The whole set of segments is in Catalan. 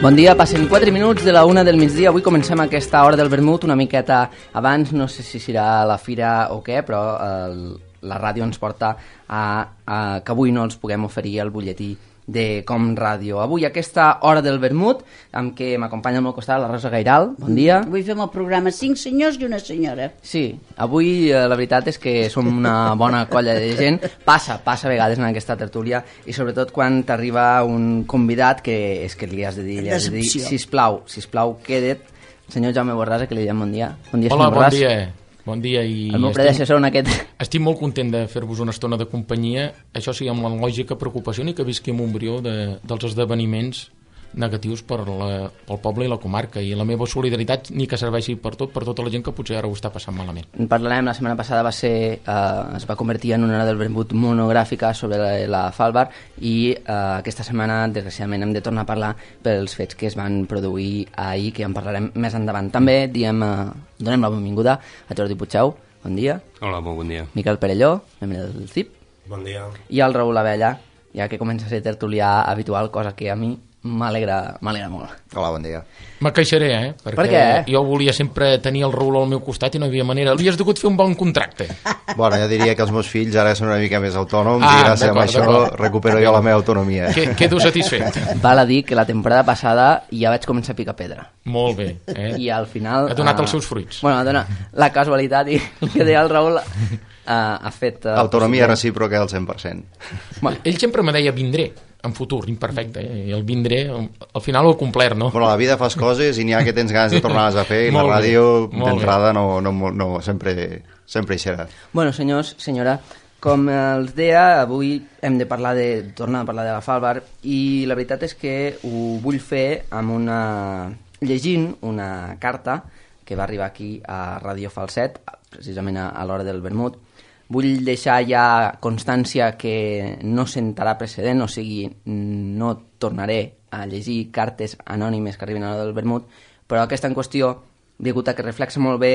Bon dia, passen 4 minuts de la 1 del migdia. Avui comencem aquesta hora del vermut una miqueta abans, no sé si serà la fira o què, però la ràdio ens porta a que avui no els puguem oferir el butlletí de Com Ràdio. Avui aquesta hora del vermut, amb què m'acompanya al meu costat la Rosa Gairal. Bon dia. Avui fem el programa 5 senyors i una senyora. Sí, avui la veritat és que som una bona colla de gent. Passa a vegades en aquesta tertúlia, i sobretot quan t'arriba un convidat que és que li has de dir, sisplau, queda't. Senyor Jaume Borràs, que li diem bon dia. Bon dia, hola, senyor Borràs. Bon dia. Bon dia i... El meu predecessor en aquest... Estic molt content de fer-vos una estona de companyia, això sí, amb la lògica preocupació ni que visqui en Montbrió dels esdeveniments negatius pel poble i la comarca, i la meva solidaritat ni que serveixi per tota la gent que potser ara ho està passant malament. En parlarem, la setmana passada es va convertir en una hora del vermut monogràfica sobre la Falbar, i aquesta setmana desgraciadament hem de tornar a parlar pels fets que es van produir ahir, que ja en parlarem més endavant. També donem la benvinguda a Jordi Puigdeu. Bon dia. Hola, molt bon dia. Miquel Perelló, membre del CIP. Bon dia. I el Raül Abella, ja que comença a ser tertulià habitual, cosa que a mi m'alegra molt. Hola, bon dia. Me queixaré, perquè per què? Jo volia sempre tenir el Raül al meu costat i no hi havia manera. Li has degut fer un bon contracte. Bueno, jo diria que els meus fills ara són una mica més autònoms i gràcies a això recupero jo la meva autonomia. Quedo satisfet. Val a dir que la temporada passada ja vaig començar a picar pedra. Molt bé. I al final... Ha donat els seus fruits. Bueno, la casualitat i el que deia el Raül ha fet... Autonomia recíproca al 100%. Bueno, ell sempre me deia vindré en futur, imperfecte, i el vindré al final ho he complert, no? Bueno, a la vida fas coses i n'hi ha que tens ganes de tornar-les a fer, i la ràdio d'entrada no sempre hi serà. Bueno, senyors, senyora, com els deia, avui hem de tornar a parlar de la Falbar, i la veritat és que ho vull fer llegint una carta que va arribar aquí a Ràdio Falset, precisament a l'hora del vermut. Vull deixar ja constància que no sentarà precedent, o sigui, no tornaré a llegir cartes anònimes que arriben a l'hora del vermut, però aquesta en qüestió, degut a que reflexa molt bé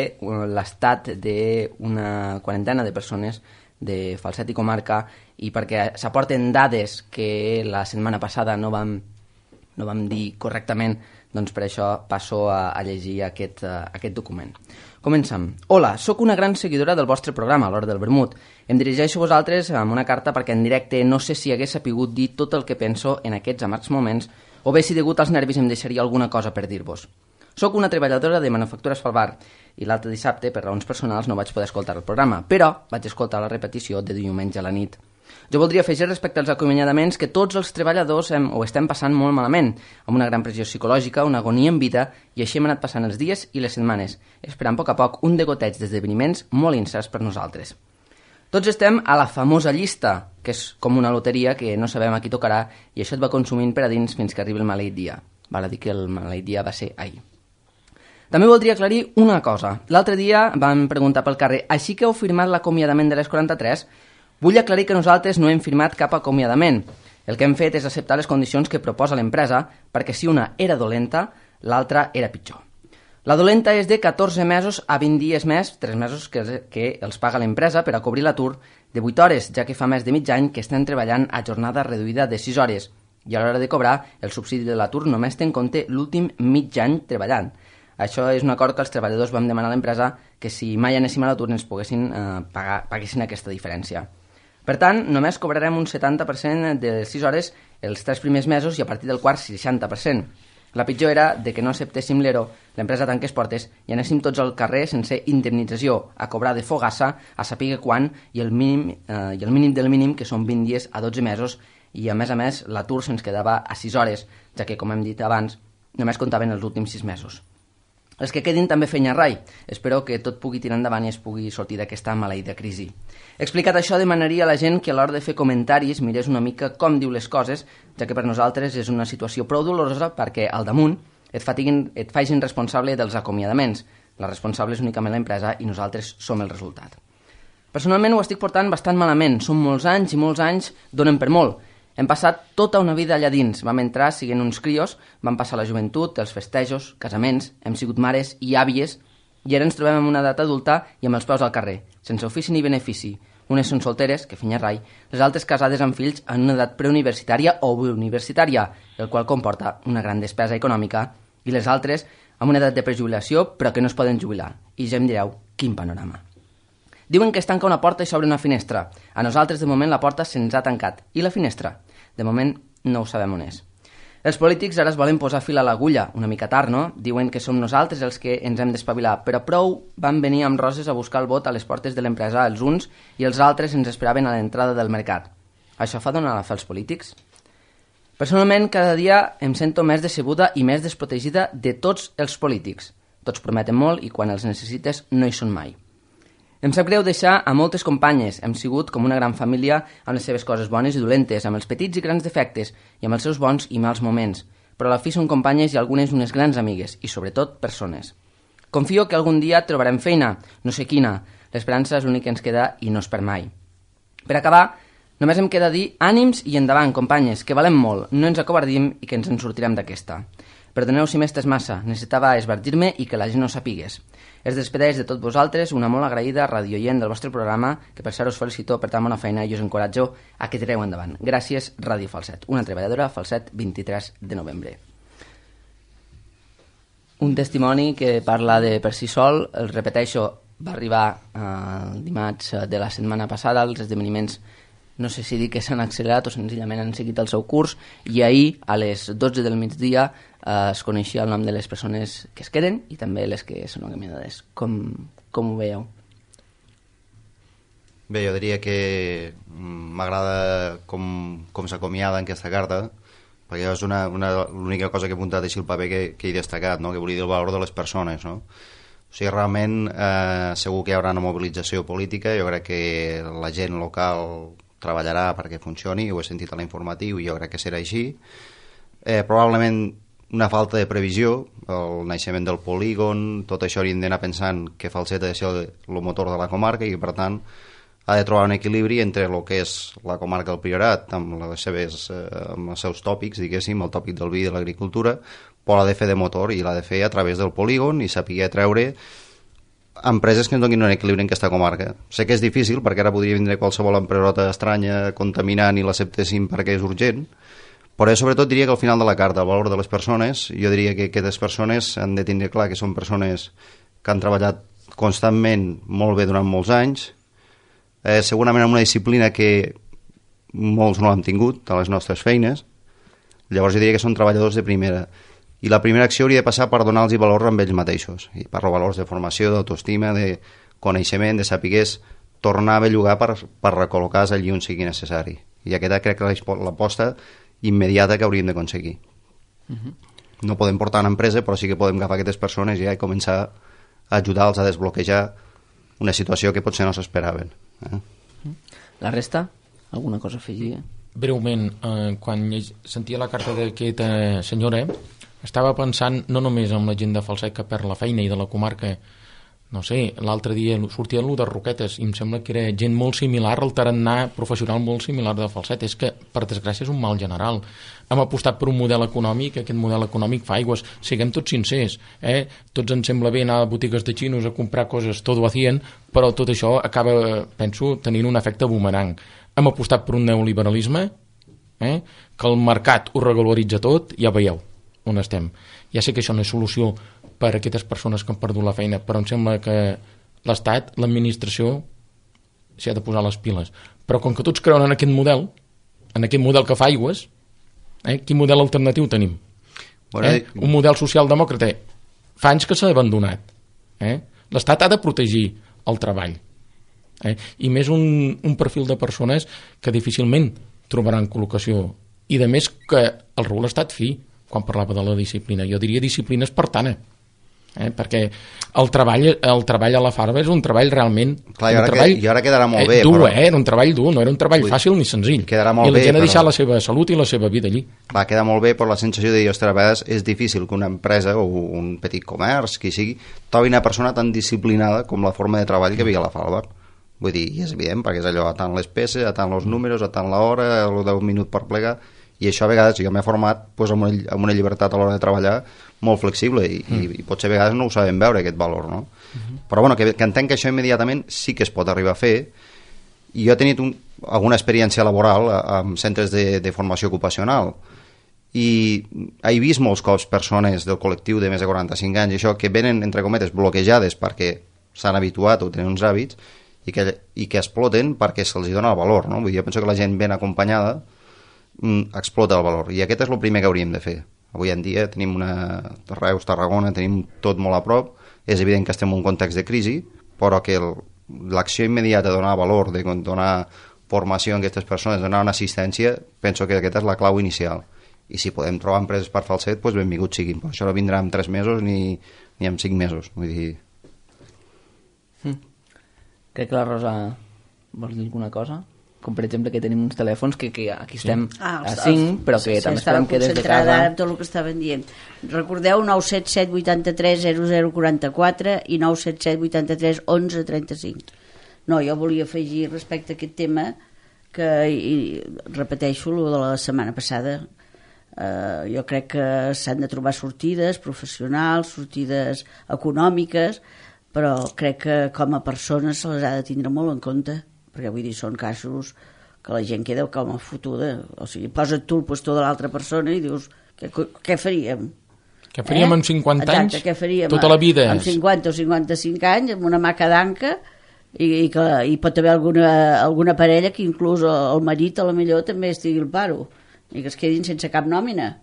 l'estat d'una quarantena de persones de Falset i comarca, i perquè s'aporten dades que la setmana passada no vam dir correctament, doncs per això passo a llegir aquest document. Comencem. Hola, sóc una gran seguidora del vostre programa, a l'hora del vermut. Em dirigeixo a vosaltres amb una carta perquè en directe no sé si hagués sapigut dir tot el que penso en aquests amargs moments, o bé si degut als nervis em deixaria alguna cosa per dir-vos. Sóc una treballadora de Manufactures Falbar, i l'altre dissabte, per raons personals, no vaig poder escoltar el programa, però vaig escoltar la repetició de diumenge a la nit. Jo voldria afegir respecte als acomiadaments que tots els treballadors ho estem passant molt malament, amb una gran pressió psicològica, una agonia en vida, i així hem anat passant els dies i les setmanes, esperant a poc a poc un degoteig d'esdeveniments molt incerts per nosaltres. Tots estem a la famosa llista, que és com una loteria que no sabem a qui tocarà, i això et va consumint per a dins fins que arribi el maleït dia. Val a dir que el maleït dia va ser ahir. També voldria aclarir una cosa. L'altre dia vam preguntar pel carrer, així que heu firmat l'acomiadament de les 43? Vull aclarir que nosaltres no hem firmat cap acomiadament. El que hem fet és acceptar les condicions que proposa l'empresa, perquè si una era dolenta, l'altra era pitjor. La dolenta és de 14 mesos a 20 dies més, 3 mesos que els paga l'empresa per a cobrir l'atur de 8 hores, ja que fa més de mig any que estem treballant a jornada reduïda de 6 hores, i a l'hora de cobrar el subsidi de l'atur només té en compte l'últim mig any treballant. Això és un acord que els treballadors vam demanar a l'empresa, que si mai anéssim a l'atur ens paguessin aquesta diferència. Per tant, només cobrarem un 70% de les 6 hores els 3 primers mesos i a partir del quart 60%. La pitjor era de que no acceptéssim l'ERO, l'empresa tanqués portes i anéssim tots al carrer sense indemnització, a cobrar de fogassa, a saber quan, i el mínim del mínim, que són 20 dies a 12 mesos, i a més l'atur se'ns quedava a 6 hores, ja que, com hem dit abans, només comptaven els últims 6 mesos. Els que quedin també feina rai. Espero que tot pugui tirar endavant i es pugui sortir d'aquesta maleïda crisi. Explicat això, demanaria a la gent que a l'hora de fer comentaris mirés una mica com diu les coses, ja que per nosaltres és una situació prou dolorosa perquè al damunt et facin responsable dels acomiadaments. La responsable és únicament l'empresa i nosaltres som el resultat. Personalment ho estic portant bastant malament. Són molts anys i molts anys donen per molt. Hem passat tota una vida allà dins. Vam entrar siguent uns crios, vam passar la joventut, els festejos, casaments, hem sigut mares i àvies, i ara ens trobem en una edat adulta i amb els peus al carrer, sense ofici ni benefici. Unes són solteres, que finya rai, les altres casades amb fills en una edat preuniversitària o universitària, el qual comporta una gran despesa econòmica, i les altres amb una edat de prejubilació però que no es poden jubilar. I ja em direu, quin panorama. Diuen que es tanca una porta i s'obre una finestra. A nosaltres, de moment, la porta se'ns ha tancat. I la finestra? De moment, no ho sabem on és. Els polítics ara es volen posar fil a l'agulla, una mica tard, no? Diuen que som nosaltres els que ens hem d'espavilar, però prou van venir amb roses a buscar el vot a les portes de l'empresa els uns i els altres ens esperaven a l'entrada del mercat. Això fa donar la fe als polítics? Personalment, cada dia em sento més decebuda i més desprotegida de tots els polítics. Tots prometen molt i quan els necessites no hi són mai. Em sap greu deixar a moltes companyes. Hem sigut com una gran família amb les seves coses bones i dolentes, amb els petits i grans defectes i amb els seus bons i mals moments. Però a la fi són companyes i algunes unes grans amigues i, sobretot, persones. Confio que algun dia trobarem feina, no sé quina. L'esperança és l'únic que ens queda i no es perd mai. Per acabar, només em queda dir ànims i endavant, companyes, que valem molt, no ens acobardim i que ens en sortirem d'aquesta. Perdoneu si m'estes massa, necessitava esvertir-me i que la gent no sapigués. Es despedeix de tots vosaltres una molt agraïda radioient del vostre programa, que per cert us felicito per tan bona feina i us encoratjo a que tireu endavant. Gràcies, Ràdio Falset. Una treballadora, Falset, 23 de novembre. Un testimoni que parla de per si sol, el repeteixo, va arribar el dimarts de la setmana passada, els esdeveniments no sé si dir que s'han accelerat o senzillament han seguit el seu curs, i ahir a les 12 del migdia es coneixia el nom de les persones que es queden i també les que són acomiadades. Com ho veieu? Bé, jo diria que m'agrada com s'acomiada en aquesta carta, perquè és l'única cosa que he apuntat així al paper que he destacat, no? Que volia dir el valor de les persones, no? O sigui, realment segur que hi haurà una mobilització política, jo crec que la gent local treballarà perquè funcioni, ho he sentit a l'informatiu i jo crec que serà així. Probablement una falta de previsió, el naixement del polígon, tot això hauríem d'anar pensant que Falset ha de ser el motor de la comarca i que per tant ha de trobar un equilibri entre el que és la comarca del Priorat amb els seus tòpics, diguéssim, el tòpic del vi i de l'agricultura, però l'ha de fer de motor i l'ha de fer a través del polígon i saber treure empreses que ens donin un equilibri en aquesta comarca. Sé que és difícil perquè ara podria vindre qualsevol empresota estranya contaminant i l'acceptéssim perquè és urgent, però jo sobretot diria que al final de la carta, el valor de les persones, jo diria que aquestes persones han de tindre clar que són persones que han treballat constantment molt bé durant molts anys, segurament amb una disciplina que molts no l'han tingut a les nostres feines. Llavors jo diria que són treballadors de primera. I la primera acció hauria de passar per donar-los valor amb ells mateixos. I parlo valors de formació, d'autoestima, de coneixement, de saber tornar a bellugar per recol·locar-se allí on sigui necessari. I aquesta crec que és l'aposta immediata que hauríem d'aconseguir. No podem portar una empresa, però sí que podem agafar aquestes persones i començar a ajudar-los a desbloquejar una situació que potser no s'esperaven. La resta? Alguna cosa a afegir? Breument, quan sentia la carta d'aquesta senyora, estava pensant no només en la gent de Falset que perd la feina i de la comarca, no sé, l'altre dia sortia l'1 de Roquetes i em sembla que era gent molt similar, el tarannà professional molt similar de Falset. És que, per desgràcia, és un mal general. Hem apostat per un model econòmic, aquest model econòmic fa aigües, siguem tots sincers, tots ens sembla bé anar a botigues de xinos a comprar coses, tot ho hacien, però tot això acaba, penso, tenint un efecte bumerang. Hem apostat per un neoliberalisme, que el mercat ho regularitza tot, ja veieu on estem. Ja sé que això no és solució per a aquestes persones que han perdut la feina, però em sembla que l'Estat, l'administració, s'hi ha de posar les piles. Però com que tots creuen en aquest model que fa aigües, quin model alternatiu tenim? Un model socialdemòcrata fa anys que s'ha abandonat. L'Estat ha de protegir el treball. I més un perfil de persones que difícilment trobaran col·locació. I de més que el rol ha estat fi quan parlava de la disciplina. Jo diria disciplina espartana. Perquè el treball a la farba és un treball realment... Clar, i ara quedarà molt bé. Dur, era un treball dur, no era un treball fàcil ni senzill. Quedarà molt bé, I la gent ha deixat la seva salut i la seva vida allí. Clar, queda molt bé, però la sensació de dir, ostres, a vegades és difícil que una empresa o un petit comerç, qui sigui, trobi una persona tan disciplinada com la forma de treball que havia a la farba. Vull dir, i és evident, perquè és allò, a tant les peces, a tant els números, a tant l'hora, el 10 minuts per plegar, i això a vegades jo m'he format amb una llibertat a l'hora de treballar molt flexible i potser a vegades no ho sabem veure aquest valor, no? Però bueno, que entenc que això immediatament sí que es pot arribar a fer I jo he tenit alguna experiència laboral en centres de formació ocupacional i he vist molts cops persones del col·lectiu de més de 45 anys això, que venen, entre cometes, bloquejades perquè s'han habituat o tenen uns hàbits i que exploten perquè se'ls dona el valor, no? Vull dir, jo penso que la gent ben acompanyada explota el valor, i aquest és el primer que hauríem de fer. Avui en dia tenim Reus, Tarragona, tenim tot molt a prop, és evident que estem en un context de crisi, però que l'acció immediata de donar valor, de donar formació a aquestes persones, donar una assistència, penso que aquesta és la clau inicial. I si podem trobar empreses per Falset, doncs benvinguts siguin, però això no vindrà en 3 mesos ni en 5 mesos, vull dir... Crec que la Rosa vol dir alguna cosa? Com per exemple que tenim uns telèfons que aquí estem a 5, però que també esperem que des de casa... Ara tot el que estaven dient. Recordeu 977 83 0044 i 977 83 11 35. No, jo volia afegir respecte a aquest tema que, i repeteixo el de la setmana passada, jo crec que s'han de trobar sortides professionals, sortides econòmiques, però crec que com a persones se les ha de tindre molt en compte, perquè vull dir, són casos que la gent queda com a fotuda, o sigui, posa't tu el puesto de l'altra persona i dius, què faríem? Què faríem amb 50 anys? Exacte, què faríem tota la vida? Amb 50 o 55 anys, amb una maca d'anca, i pot haver alguna parella que inclús el marit a la millor també estigui al paro i que es quedin sense cap nòmina.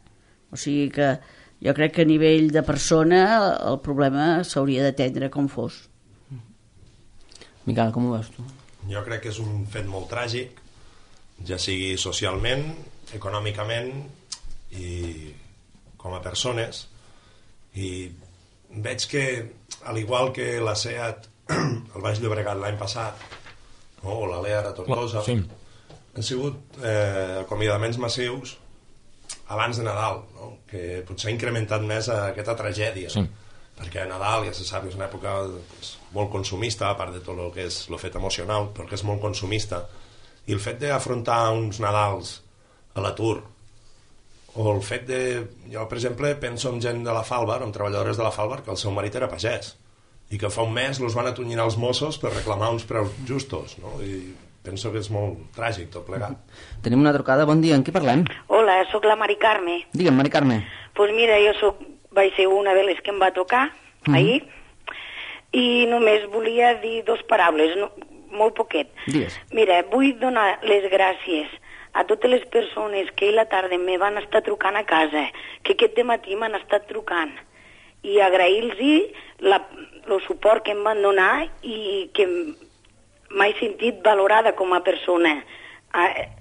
O sigui que jo crec que a nivell de persona el problema s'hauria d'atendre com fos. Miquel, com ho veus tu? Jo crec que és un fet molt tràgic, ja sigui socialment, econòmicament i com a persones, i veig que, al igual que la SEAT al Baix Llobregat l'any passat, o la Lear a Tortosa, sí, han sigut acomiadaments massius abans de Nadal, no? Que potser ha incrementat més aquesta tragèdia, sí, perquè Nadal, ja se sap, és una època molt consumista, a part de tot el que és el fet emocional, però que és molt consumista, i el fet d'afrontar uns Nadals a l'atur, o el fet de... Jo, per exemple, penso en gent de la Falbar, en treballadores de la Falbar, que el seu marit era pagès, i que fa un mes els van atonyinar els Mossos per reclamar uns preus justos, no? I penso que és molt tràgic tot plegat. Tenim una trucada, bon dia, en qui parlem? Hola, sóc la Mari Carme. Digue'm, Mari Carme. Pues mira, vaig ser una de les que em va tocar ahir, i només volia dir 2 paraules, molt poquet. Digues. Mira, vull donar les gràcies a totes les persones que ahir a la tarda me van estar trucant a casa, que aquest dematí m'han estat trucant, i agrair-los el suport que em van donar i que m'he sentit valorada com a persona,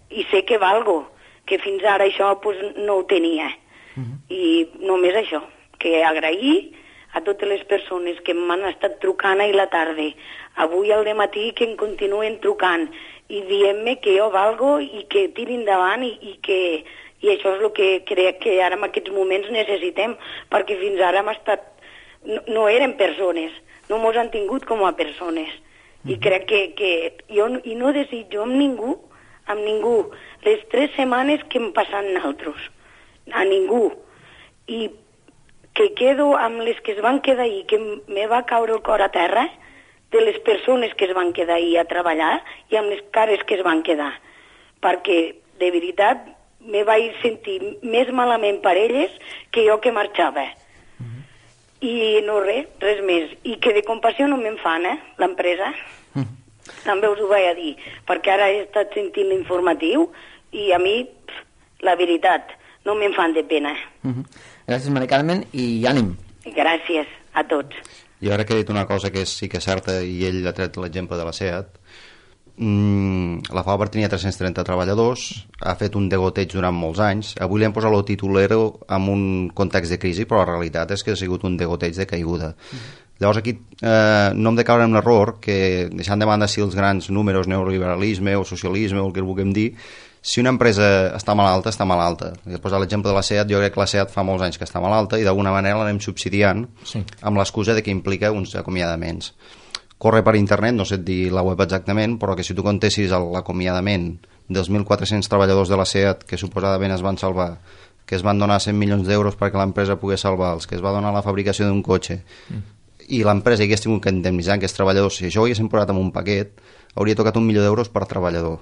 i sé que valgo, que fins ara això pues, no ho tenia. I només això, que agrair a totes les persones que m'han estat trucant ahir a la tarda, avui al dematí que em continuen trucant i dient-me que jo valgo i que tiri endavant i això és el que crec que ara en aquests moments necessitem, perquè fins ara hem estat, no eren persones, no mos han tingut com a persones. I crec que jo no desitjo amb ningú, les 3 setmanes que em passen nosaltres, a ningú. I que quedo amb les que es van quedar ahir, que me va caure el cor a terra, de les persones que es van quedar ahir a treballar i amb les cares que es van quedar. Perquè, de veritat, me vaig sentir més malament per elles que jo que marxava. I no res més. I que de compassió no me'n fan, l'empresa. També us ho vaig a dir, perquè ara he estat sentint l'informatiu i a mi, la veritat, no me'n fan de pena. Gràcies, Mari Carmen, i ànim. Gràcies a tots. Jo ara que he dit una cosa que sí que és certa, i ell ha tret l'exemple de la SEAT, la Falbar tenia 330 treballadors, ha fet un degoteig durant molts anys, avui li han posat el titulero en un context de crisi, però la realitat és que ha sigut un degoteig de caiguda. Llavors aquí no hem de caure en l'error que, deixant de banda si els grans números, neoliberalisme o socialisme o el que vulguem dir, si una empresa està malalta, està malalta. He posat l'exemple de la SEAT, jo crec que la SEAT fa molts anys que està malalta i d'alguna manera l'anem subsidiant amb l'excusa de que implica uns acomiadaments. Corre per internet, no sé dir la web exactament, però que si tu contessis l'acomiadament dels 1.400 treballadors de la SEAT que suposadament es van salvar, que es van donar 100 milions d'euros perquè l'empresa pogués salvar, els que es va donar la fabricació d'un cotxe, i l'empresa hagués tingut que indemnitzar aquests treballadors, si això ho haguéssim posat en un paquet, hauria tocat 1 milió d'euros per treballador.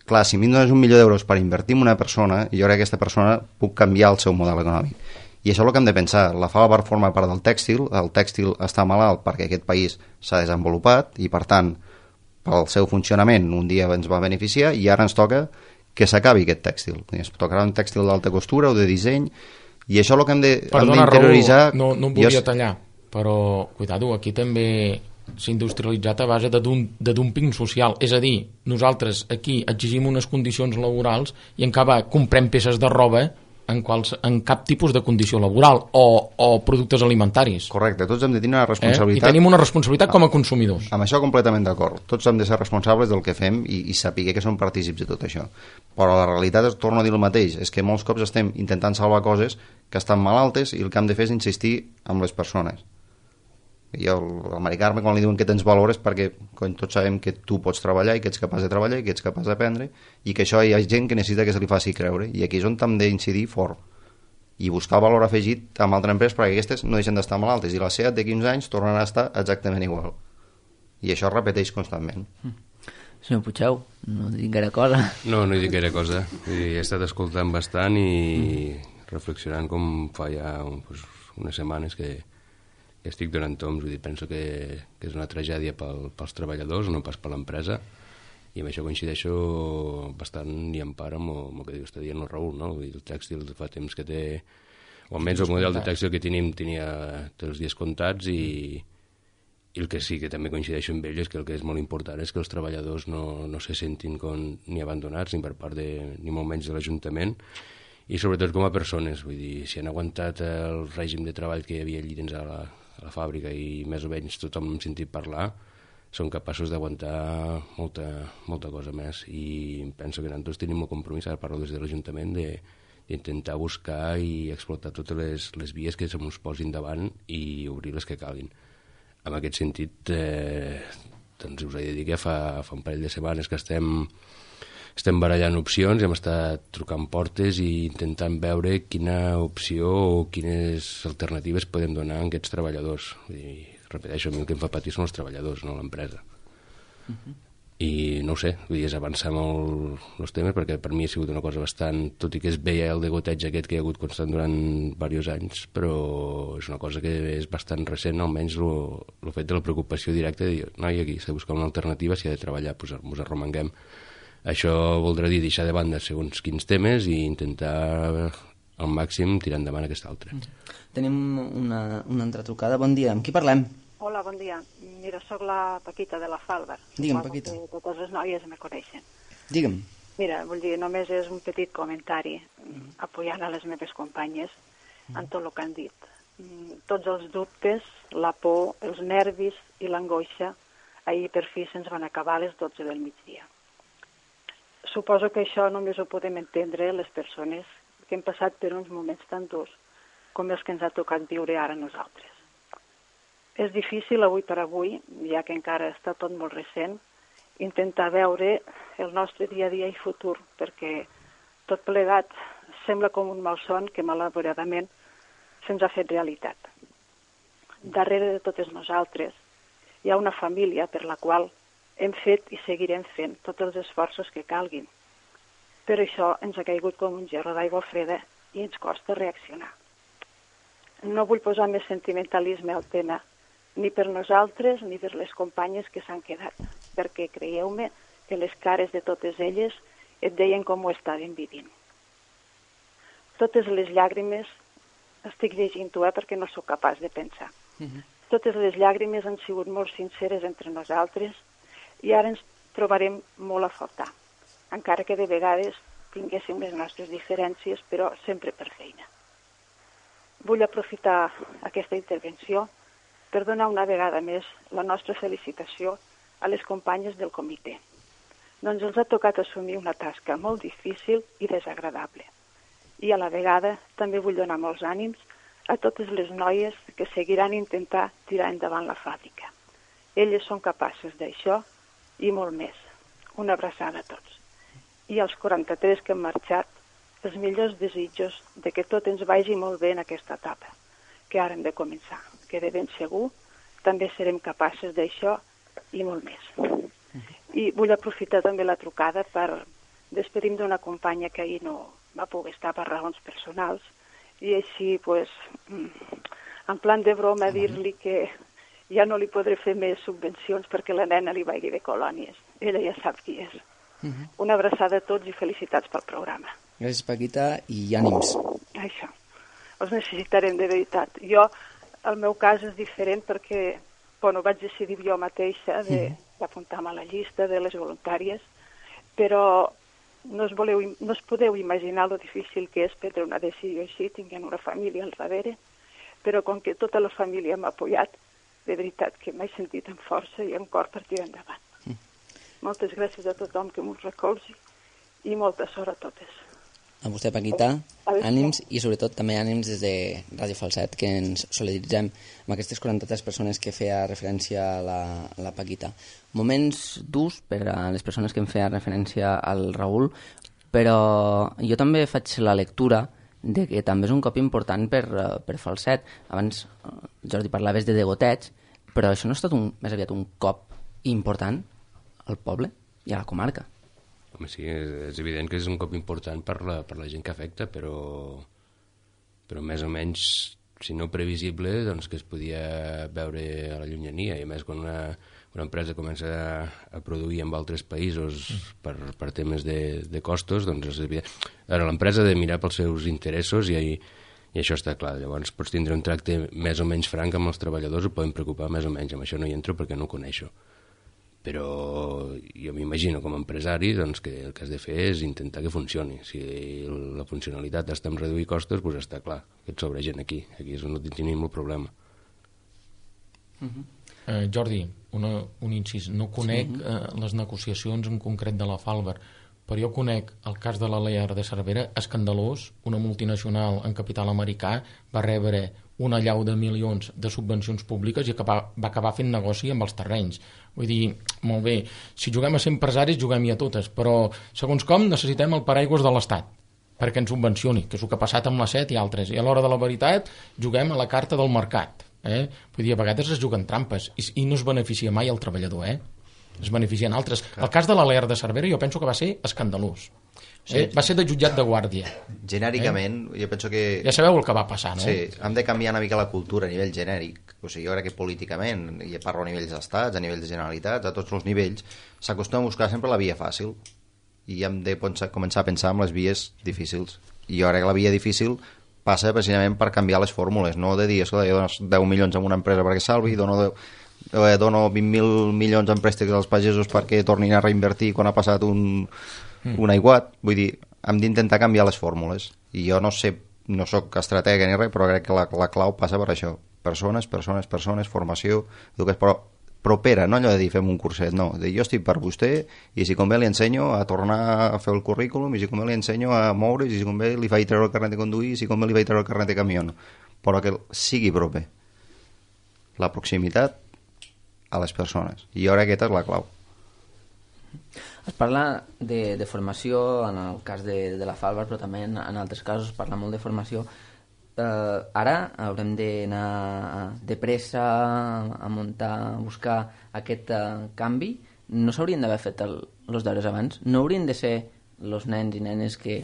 Clar, si a mi em dones 1 milió d'euros per invertir en una persona, jo crec que aquesta persona puc canviar el seu model econòmic. I això és el que hem de pensar. La Falbar forma part del tèxtil, el tèxtil està malalt perquè aquest país s'ha desenvolupat i, per tant, pel seu funcionament un dia ens va beneficiar i ara ens toca que s'acabi aquest tèxtil. Ens tocarà un tèxtil d'alta costura o de disseny i això és el que hem d'interioritzar. No em volia tallar, però, cuidado, aquí també s'ha industrialitzat a base de dumping social. És a dir, nosaltres aquí exigim unes condicions laborals i en canvi comprem peces de roba en cap tipus de condició laboral o productes alimentaris. Correcte, tots hem de tenir una responsabilitat. I tenim una responsabilitat com a consumidors. Amb això completament d'acord. Tots hem de ser responsables del que fem i saber que som partícips de tot això. Però la realitat és, torno a dir el mateix, és que molts cops estem intentant salvar coses que estan malaltes i el que hem de fer és insistir amb les persones. Jo, al Mari Carme, quan li diuen que tens valor és perquè tots sabem que tu pots treballar i que ets capaç de treballar i que ets capaç d'aprendre i que això hi ha gent que necessita que se li faci creure i aquí és on hem d'incidir fort i buscar el valor afegit amb altres empreses perquè aquestes no deixen d'estar malaltes i la SEAT de 15 anys tornen a estar exactament igual i això es repeteix constantment. Senyor Puigdeu, no dic gaire cosa. No hi dic gaire cosa. He estat escoltant bastant i reflexionant com fa ja unes setmanes que estic donant toms, vull dir, penso que és una tragèdia pels treballadors, no pas per l'empresa, i amb això coincideixo bastant i en part amb el que està dient el Raül, no? Vull dir, el tèxtil fa temps que té, o almenys el model de tèxtil que tenim té els dies comptats i el que sí que també coincideixo amb ell és que el que és molt important és que els treballadors no se sentin ni abandonats ni per part ni molt menys de l'Ajuntament i sobretot com a persones, vull dir, si han aguantat el règim de treball que hi havia allí dins a la fàbrica i més o menys tothom hem sentit parlar, són capaços d'aguantar molta cosa més i penso que nosaltres tenim el compromís, ara parlo des de l'Ajuntament, d'intentar buscar i explotar totes les vies que se'ns posin davant i obrir les que calguin. En aquest sentit, doncs us he de dir que fa un parell de setmanes que estem barallant opcions i hem estat trucant portes i intentant veure quina opció o quines alternatives podem donar a aquests treballadors. I repeteixo, a mi el que em fa patir són els treballadors, no l'empresa. I no ho sé, és avançar molt els temes perquè per mi ha sigut una cosa bastant, tot i que es veia el degoteig aquest que hi ha hagut constant durant diversos anys, però és una cosa que és bastant recent, almenys el fet de la preocupació directa de dir, noi, aquí s'ha de buscar una alternativa, s'hi ha de treballar, doncs ens arromanguem. Això voldrà dir deixar de banda segons quins temes i intentar al màxim tirar endavant aquest altre. Tenim una altra trucada. Bon dia, amb qui parlem? Hola, bon dia. Mira, sóc la Paquita de la Falbar. Digue'm, Paquita. Totes les noies me coneixen. Digue'm. Mira, vull dir, només és un petit comentari apoyant a les meves companyes en tot el que han dit. Tots els dubtes, la por, els nervis i l'angoixa, ahir per fi se'ns van acabar a les 12 del migdia. Suposo que això només ho podem entendre les persones que hem passat per uns moments tan durs com els que ens ha tocat viure ara nosaltres. És difícil avui per avui, ja que encara està tot molt recent, intentar veure el nostre dia a dia i futur, perquè tot plegat sembla com un malson que malauradament se'ns ha fet realitat. Darrere de totes nosaltres hi ha una família per la qual hem fet i seguirem fent tots els esforços que calguin. Per això ens ha caigut com un gerro d'aigua freda i ens costa reaccionar. No vull posar més sentimentalisme al tema, ni per nosaltres ni per les companyes que s'han quedat, perquè creieu-me que les cares de totes elles et deien com ho estaven vivint. Totes les llàgrimes, estic llegint-ho perquè no sóc capaç de pensar, totes les llàgrimes han sigut molt sinceres entre nosaltres i ara ens trobarem molt a faltar, encara que de vegades tinguéssim les nostres diferències, però sempre per feina. Vull aprofitar aquesta intervenció per donar una vegada més la nostra felicitació a les companyes del comitè. Doncs els ha tocat assumir una tasca molt difícil i desagradable. I a la vegada també vull donar molts ànims a totes les noies que seguiran intentar tirar endavant la fàbrica. Elles són capaces d'això i molt més. Una abraçada a tots. I als 43 que hem marxat, els millors desitjos de que tot ens vagi molt bé en aquesta etapa, que ara hem de començar, que de ben segur també serem capaces d'això i molt més. I vull aprofitar també la trucada per despedir-me d'una companya que ahir no va poder estar per raons personals i així, pues, en plan de broma, dir-li que ja no li podré fer més subvencions perquè la nena li vagi de colònies. Ella ja sap qui és. Una abraçada a tots i felicitats pel programa. Gràcies, Paquita, i ànims. Això. Els necessitarem de veritat. Jo, el meu cas és diferent perquè, bueno, vaig decidir jo mateixa d'apuntar-me a la llista de les voluntàries, però no us podeu imaginar lo difícil que és prendre una decisió així, tinguent una família al darrere, però com que tota la família m'ha apoyat, de veritat que m'he sentit amb força i amb cor per tirar endavant. Moltes gràcies a tothom que m'ho recolzi i molta sort a totes. A vostè, Paquita, ànims i sobretot també ànims des de Ràdio Falset, que ens solidaritzem amb aquestes 43 persones que feia referència a la Paquita. Moments durs per a les persones que em feia referència al Raül, però jo també faig la lectura de que també és un cop important per Falset. Abans, Jordi, parlaves de degotets, però això no ha estat més aviat un cop important al poble i a la comarca. Home, sí, és evident que és un cop important per la gent que afecta, però més o menys, si no previsible, doncs que es podia veure a la llunyania, i a més quan una empresa comença a produir en altres països per temes de costos, doncs és evident. Ara, l'empresa ha de mirar pels seus interessos i això està clar. Llavors pots tindre un tracte més o menys franc amb els treballadors, ho poden preocupar més o menys. Amb això no hi entro perquè no ho coneixo. Però jo m'imagino com a empresari doncs, que el que has de fer és intentar que funcioni. Si la funcionalitat està en reduir costos, doncs està clar que et sobra gent aquí és on tenim el problema. Jordi, un incís, no conec les negociacions en concret de la Falber, però jo conec el cas de l'Alear de Cervera, escandalós. Una multinacional en capital americà va rebre una allau de milions de subvencions públiques i va acabar fent negoci amb els terrenys. Vull dir, molt bé, si juguem a ser empresaris, juguem-hi a totes, però segons com necessitem el paraigües de l'Estat perquè ens subvencioni, que és el que ha passat amb la SET i altres. I a l'hora de la veritat juguem a la carta del mercat. Vull dir, a vegades es juguen trampes i no es beneficia mai el treballador, es beneficien altres. El cas de l'Alear de Cervera jo penso que va ser escandalós. Va ser de jutjat de guàrdia. Genèricament, jo penso que... Ja sabeu el que va passar, no? Sí, hem de canviar una mica la cultura a nivell genèric. O sigui, jo crec que políticament, i parlo a nivells d'estats, a nivells de generalitats, a tots els nivells, s'acostuma a buscar sempre la via fàcil. I hem de començar a pensar en les vies difícils. I jo crec que la via difícil passa precisament per canviar les fórmules, no de dir, escolta, jo dono 10 milions a una empresa perquè salvi, dono 20.000 milions en préstecs als pagesos perquè tornin a reinvertir quan ha passat un aiguat. Vull dir, hem d'intentar canviar les fórmules. I jo no sé, no sóc estratega ni res, però crec que la clau passa per això. Persones, formació, educació, però propera, no allò de dir fem un curset, no. De jo estic per vostè i si convé li ensenyo a tornar a fer el currículum i si convé li ensenyo a moure i si convé li faig treure el carnet de conduir i si convé li faig treure el carnet de camió. Però que sigui proper. La proximitat a les persones. I jo crec que aquesta és la clau. Es parla de formació en el cas de la Falber, però també en altres casos es parla molt de formació. Ara haurem d'anar de pressa a muntar, a buscar aquest canvi. No s'haurien d'haver fet els deures abans? No haurien de ser els nens i nenes que,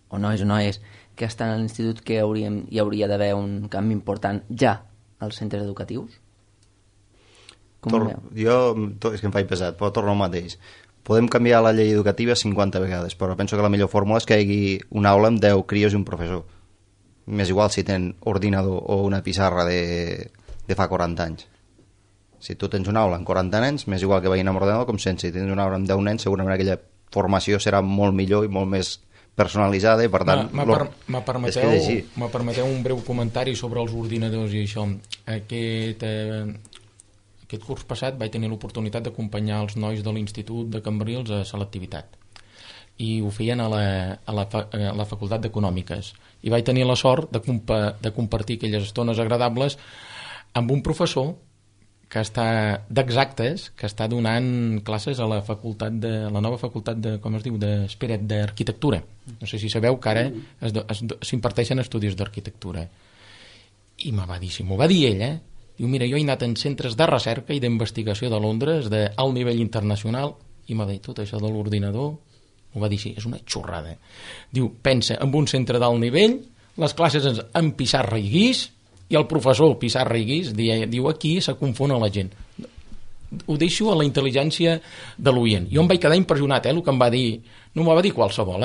o noies que estan a l'institut que hi hauria d'haver un canvi important ja als centres educatius? És que em faig pesat, però torno al mateix. Podem canviar la llei educativa 50 vegades, però penso que la millor fórmula és que hi hagi una aula amb 10 crios i un professor. M'és igual si tenen ordinador o una pissarra de fa 40 anys. Si tu tens una aula amb 40 nens, m'és igual que vagin amb ordinador com sense. Si tens una aula amb 10 nens, segurament aquella formació serà molt millor i molt més personalitzada i per tant... Me permeteu un breu comentari sobre els ordinadors i això. Aquest curs passat vaig tenir l'oportunitat d'acompanyar els nois de l'Institut de Cambrils a selectivitat i ho feien a la Facultat d'Econòmiques i vaig tenir la sort de compartir aquelles estones agradables amb un professor que està d'exactes, que està donant classes a la nova facultat d'arquitectura. No sé si sabeu que ara s'imparteixen estudis d'arquitectura. I m'ho va dir ell, Diu, mira, jo he anat en centres de recerca i d'investigació de Londres d'alt nivell internacional i m'ha dit tot això de l'ordinador, ho va dir així, és una xorrada. Diu, pensa en un centre d'alt nivell, les classes en pissarra i guix, i el professor pissarra i guix diu, aquí se confon la gent. Ho deixo a la intel·ligència de l'oient. Jo em vaig quedar impressionat, el que em va dir, no m'ho va dir qualsevol,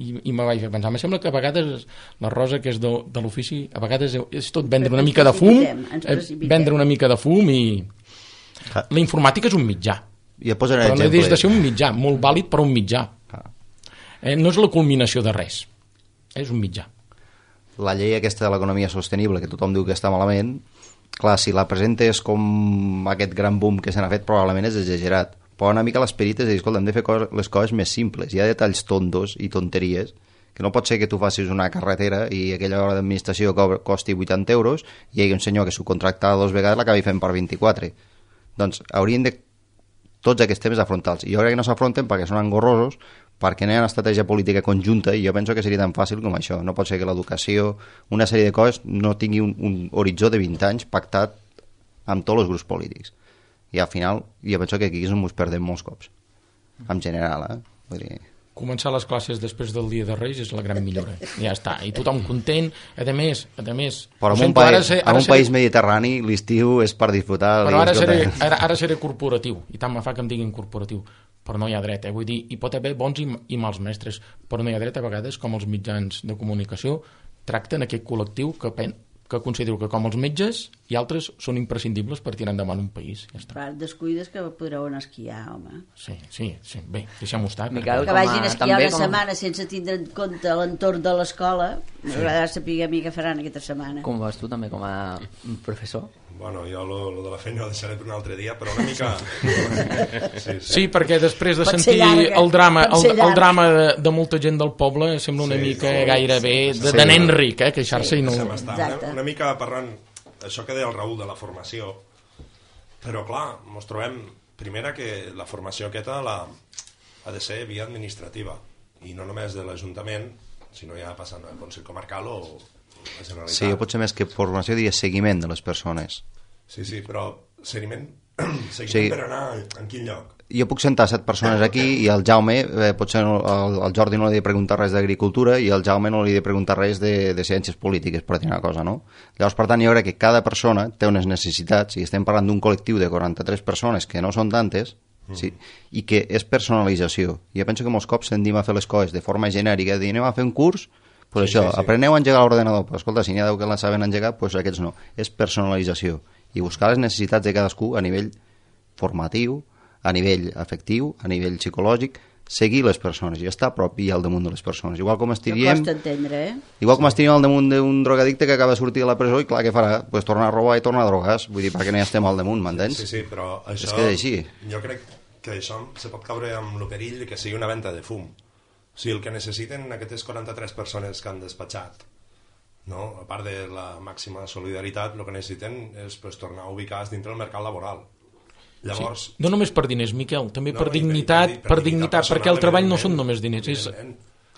i me vaig pensar, em sembla que a vegades la Rosa, que és de l'ofici, a vegades és tot vendre una mica de fum, vendre una mica de fum, i la informàtica és un mitjà, però no deixa de ser un mitjà, molt vàlid però un mitjà. No és la culminació de res, és un mitjà. La llei aquesta de l'economia sostenible, que tothom diu que està malament, clar, si la presentes com aquest gran boom que se n'ha fet, probablement és exagerat. Però una mica l'esperit és dir, escolta, hem de fer les coses més simples. Hi ha detalls tontos i tonteries, que no pot ser que tu facis una carretera i aquella hora d'administració costi 80 euros i hi hagi un senyor que subcontracta 2 vegades l'acabi fent per 24. Doncs haurien de tots aquests temes afrontar-los. I jo crec que no s'afronten perquè són engorrosos, perquè no hi ha una estratègia política conjunta, i jo penso que seria tan fàcil com això. No pot ser que l'educació, una sèrie de coses, no tingui un horitzó de 20 anys pactat amb tots els grups polítics. I al final jo penso que aquí ens ho perdem molts cops, en general. Vull dir... Començar les classes després del Dia de Reis és la gran millora. Ja està, i tothom content. A més... Però en un país mediterrani l'estiu és per disfrutar... Però ara seré corporatiu, i tant me fa que em diguin corporatiu, però no hi ha dret, vull dir, hi pot haver bons i mals mestres, però no hi ha dret a vegades, com els mitjans de comunicació tracten aquest col·lectiu que considero que com els metges i altres són imprescindibles per tirar endavant un país. Ja està. Clar, descuides que podreu anar a esquiar, home. Sí. Bé, deixem-ho estar. Miquel, que vagin a esquiar una setmana sense tindre en compte l'entorn de l'escola. M'agradarà saber a mi què faran aquesta setmana. Com vas tu també com a professor? Bueno, jo lo de la feina ho deixaré per un altre dia, però una mica... Sí, perquè després de sentir el drama de molta gent del poble sembla una mica gairebé de nen ric, queixar-se i no... Una mica parlant, això que deia el Raül de la formació, però clar, ens trobem, primera, que la formació aquesta ha de ser via administrativa, i no només de l'Ajuntament, sinó ja passant al Consell Comarcal o... Sí, jo potser més que formació diria seguiment de les persones. Sí, però seguiment per anar en quin lloc? Jo puc sentar 7 persones aquí i el Jaume, potser el Jordi no li he de preguntar res d'agricultura i el Jaume no li he de preguntar res de ciències polítiques, per dir una cosa, no? Llavors, per tant, jo crec que cada persona té unes necessitats, i estem parlant d'un col·lectiu de 43 persones que no són tantes, sí, i que és personalització. Jo penso que molts cops tendim a fer les coses de forma genèrica, de dir, anem a fer un curs... Pues això, apreneu a engegar l'ordenador, però escolta, si n'hi ha 10 que la saben engegar, pues aquests no. És personalització. I buscar les necessitats de cadascú a nivell formatiu, a nivell afectiu, a nivell psicològic, seguir les persones i estar a prop i al damunt de les persones. Igual com estiríem... Costa entendre, Igual com estiríem al damunt d'un drogadicte que acaba de sortir de la presó i clar, què farà? Pues tornar a robar i tornar a drogar. Vull dir, perquè no hi estem al damunt, m'entens? Sí, però això... És que és així. Jo crec que això se pot caure amb el perill que sigui una venda de fum. O sigui, el que necessiten aquestes 43 persones que han despatxat, no? A part de la màxima solidaritat, el que necessiten és tornar a ubicar-se dintre del mercat laboral. Llavors... Sí. No només per diners, Miquel, també per dignitat, perquè el treball no són només diners,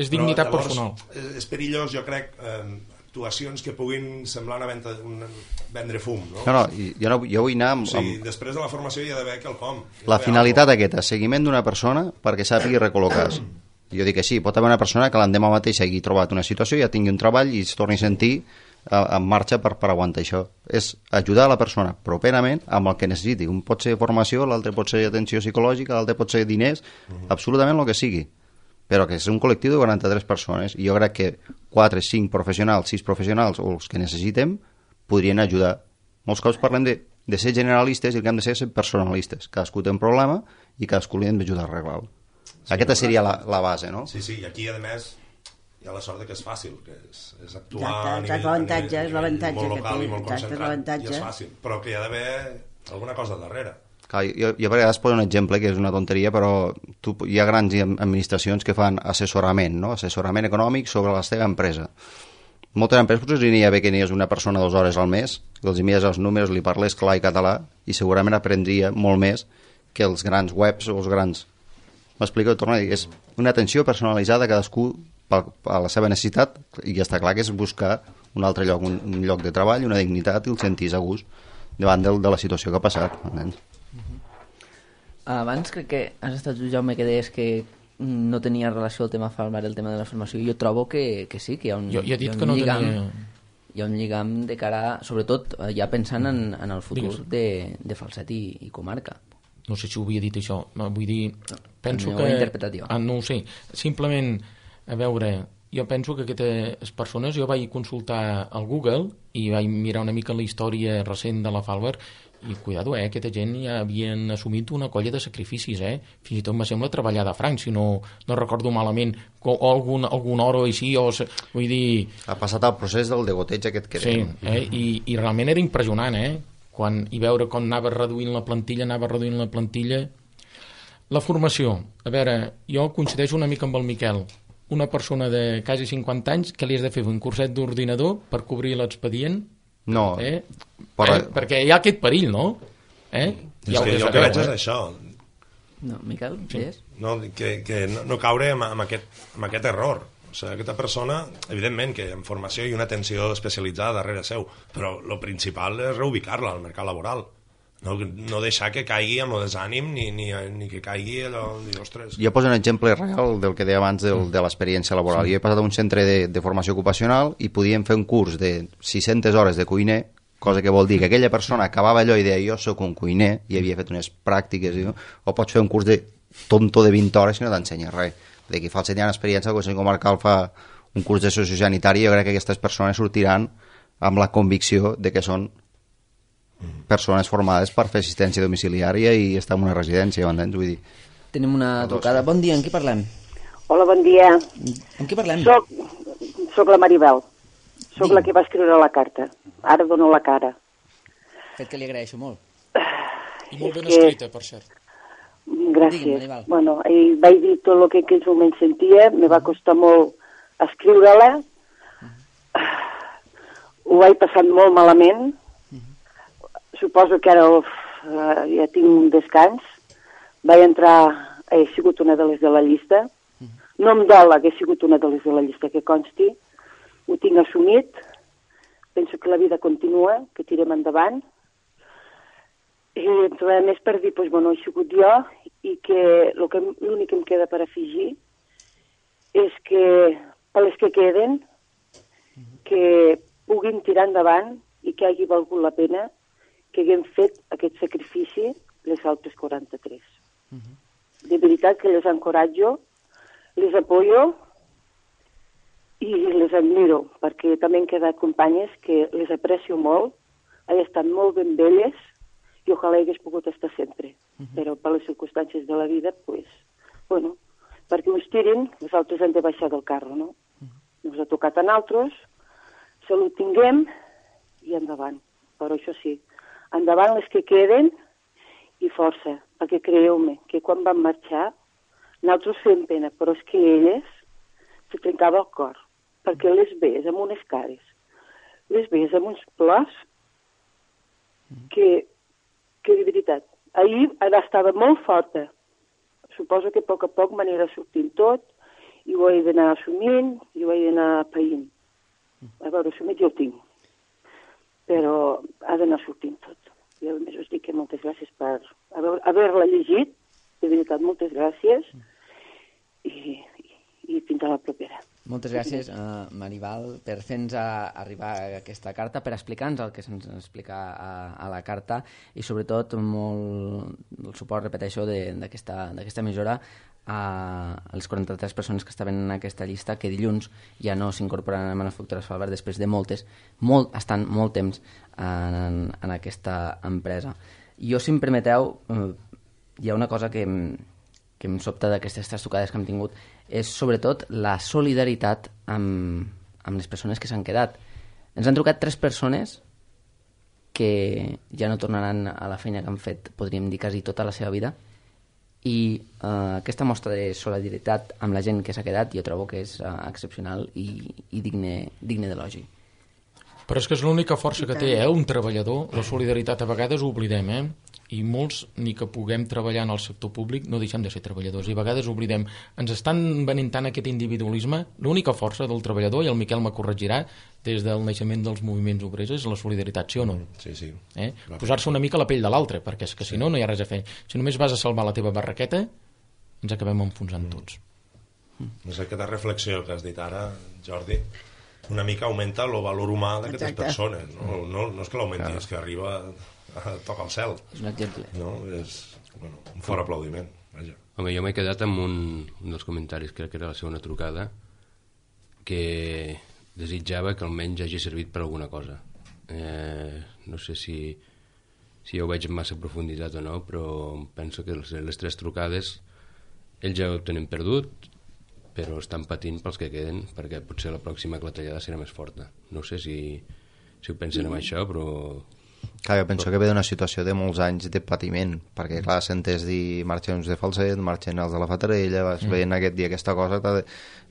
és dignitat personal. És perillós, jo crec, actuacions que puguin semblar vendre fum, no? No, jo vull anar amb... O sigui, després de la formació hi ha d'haver quelcom. La finalitat aquesta, seguiment d'una persona perquè sàpigui recol·locar-se. Jo dic que sí, pot haver una persona que l'endemà mateix hagi trobat una situació, ja tingui un treball i es torni a sentir en marxa per aguantar això. És ajudar a la persona properament amb el que necessiti. Un pot ser formació, l'altre pot ser atenció psicològica, l'altre pot ser diners, absolutament el que sigui. Però que és un col·lectiu de 43 persones i jo crec que 4, 5 professionals, 6 professionals o els que necessitem podrien ajudar. Molts cops parlem de ser generalistes i el que hem de ser personalistes. Cadascú té un problema i cadascú li hem d'ajudar a arreglar-lo. Aquesta seria la base, no? Sí, i aquí, a més, hi ha la sort que és fàcil, que és actuar a nivell molt local i molt concentrat, i és fàcil, però que hi ha d'haver alguna cosa darrere. Clar, jo a vegades poso un exemple que és una tonteria, però hi ha grans administracions que fan assessorament, no? Assessorament econòmic sobre la seva empresa. Moltes empreses potser n'hi ha bé que n'hi és una persona 2 hores al mes, que els envies els números, li parles clar i català, i segurament aprendria molt més que els grans webs o els grans... M'explico, torno a dir, és una atenció personalitzada a cadascú a la seva necessitat i ja està clar que és buscar un altre lloc, un lloc de treball, una dignitat i el sentís a gust. davant de la situació que ha passat, entens? Abans crec que has estat tu, Jaume, que deies que no tenia relació el tema Falbar, el tema de la formació. Jo trobo que sí, que hi ha un, jo he dit que no lligam, tenia... hi ha un lligam de cara, sobretot ja pensant en el futur de Falset i comarca. No sé si ho havia dit això, no, vull dir, penso ho que... he interpretat jo. No ho sé, simplement, a veure, jo penso que aquestes persones, jo vaig consultar al Google i vaig mirar una mica la història recent de la Falbar i cuidado, aquesta gent ja havien assumit una colla de sacrificis, fins i tot me sembla treballar de franc, si no recordo malament, o algun hora o així, vull dir... Ha passat el procés del degoteig aquest que sí, i realment era impressionant, i veure com anava reduint la plantilla. La formació, a veure, jo coincideixo una mica amb el Miquel, una persona de quasi 50 anys que li has de fer un curset d'ordinador per cobrir l'expedient. No, perquè hi ha aquest perill, no? És que jo el que veig és això. No, Miquel, sí. No, que no caure amb aquest error. O sigui, aquesta persona, evidentment que en formació hi ha una atenció especialitzada darrere seu, però el principal és reubicar-la al mercat laboral. No deixar que caigui amb el desànim ni que caigui allò de ostres. Jo poso un exemple real del que deia abans de l'experiència laboral. Jo he passat a un centre de formació ocupacional i podíem fer un curs de 600 hores de cuiner, cosa que vol dir que aquella persona acabava allò i deia jo sóc un cuiner i havia fet unes pràctiques, o pots fer un curs de tonto de 20 hores i no t'ensenya res. De que fa el senyal experiència, el Consell Comarcal fa un curs de sociosanitari, jo crec que aquestes persones sortiran amb la convicció de que són persones formades per fer assistència domiciliària i estar en una residència, m'entens? Vull dir... Tenim una trucada. Bon dia, amb qui parlem? Hola, bon dia. Amb qui parlem? Soc la Maribel. Soc la que va escriure la carta. Ara dono la cara. Fet que li agraeixo molt. I molt ben escrita, per cert. Gràcies. Bueno, vaig dir tot el que en aquells moments sentia, me va costar molt escriure-la. Ho vaig passar molt malament. Suposo que ara ja tinc un descans. Vaig entrar, he sigut una de les de la llista. No em dol que he sigut una de les de la llista, que consti. Ho tinc assumit. Penso que la vida continua, que tirem endavant. I a més per dir, doncs, bueno, he sigut jo i que l'únic que em queda per afegir és que per les que queden que puguin tirar endavant i que hagi valgut la pena que haguem fet aquest sacrifici les altres 43. De veritat que les encoratjo, les apoyo i les admiro, perquè també han quedat companyes que les aprecio molt, han estat molt ben belles i ojalà hagués pogut estar sempre. Però per les circumstàncies de la vida, pues, bueno, perquè uns tirin, els altres han de baixar del carro, no? Ens ha tocat a nosaltres, salut tinguem i endavant. Però això sí, endavant les que queden i força, perquè creieu-me que quan van marxar nosaltres fem pena, però és que elles se trencava el cor, perquè les veus amb unes cares, les veus amb uns plors que de veritat, ahir estava molt forta, suposo que a poc m'anirà sortint tot i ho he d'anar assumint i ho he d'anar païnt. A veure, assumit jo ho tinc, però ha d'anar sortint tot. I a més us dic que moltes gràcies per haver-la llegit, de veritat, moltes gràcies, i fins a la propera. Moltes gràcies, Maribel, per fer-nos arribar aquesta carta, per explicar-nos el que se'ns explica a la carta i sobretot molt el suport, repeteixo, d'aquesta emissora a les 43 persones que estaven en aquesta llista, que dilluns ja no s'incorporaran a Manufactures Falbar després de estan molt temps en aquesta empresa. Jo, si em permeteu, hi ha una cosa que em sobta d'aquestes tres trucades que hem tingut, és sobretot la solidaritat amb les persones que s'han quedat. Ens han trucat 3 persones que ja no tornaran a la feina que han fet, podríem dir, quasi tota la seva vida, i aquesta mostra de solidaritat amb la gent que s'ha quedat jo trobo que és excepcional i digne d'elogi. Però és que és l'única força que té, un treballador. La solidaritat a vegades ho oblidem, i molts, ni que puguem treballar en el sector públic, no deixem de ser treballadors, i a vegades oblidem. Ens estan venint tant aquest individualisme. L'única força del treballador, i el Miquel me corregirà, des del naixement dels moviments obrers, és la solidaritat, sí o no? Sí. Posar-se una mica a la pell de l'altre, perquè és que si no, no hi ha res a fer. Si només vas a salvar la teva barraqueta, ens acabem enfonsant tots. És aquesta reflexió que has dit ara, Jordi, una mica augmenta el valor humà d'aquestes persones. No és que l'augmenti, és que arriba a tocar el cel. És un exemple. No? És un fort aplaudiment. Vaja. Home, jo m'he quedat amb un dels comentaris, crec que era la segona trucada, que desitjava que almenys hagi servit per alguna cosa. No sé si jo ho veig amb massa profunditat o no, però penso que les 3 trucades ells ja ho tenen perdut, però estan patint pels que queden, perquè potser la pròxima clatellada serà més forta. No sé si ho pensen en això, però... Clar, jo penso que ve d'una situació de molts anys de patiment, perquè clar, sentes dir marxen uns de Falset, marxen els de la Fatarella, vas veient aquest dia aquesta cosa,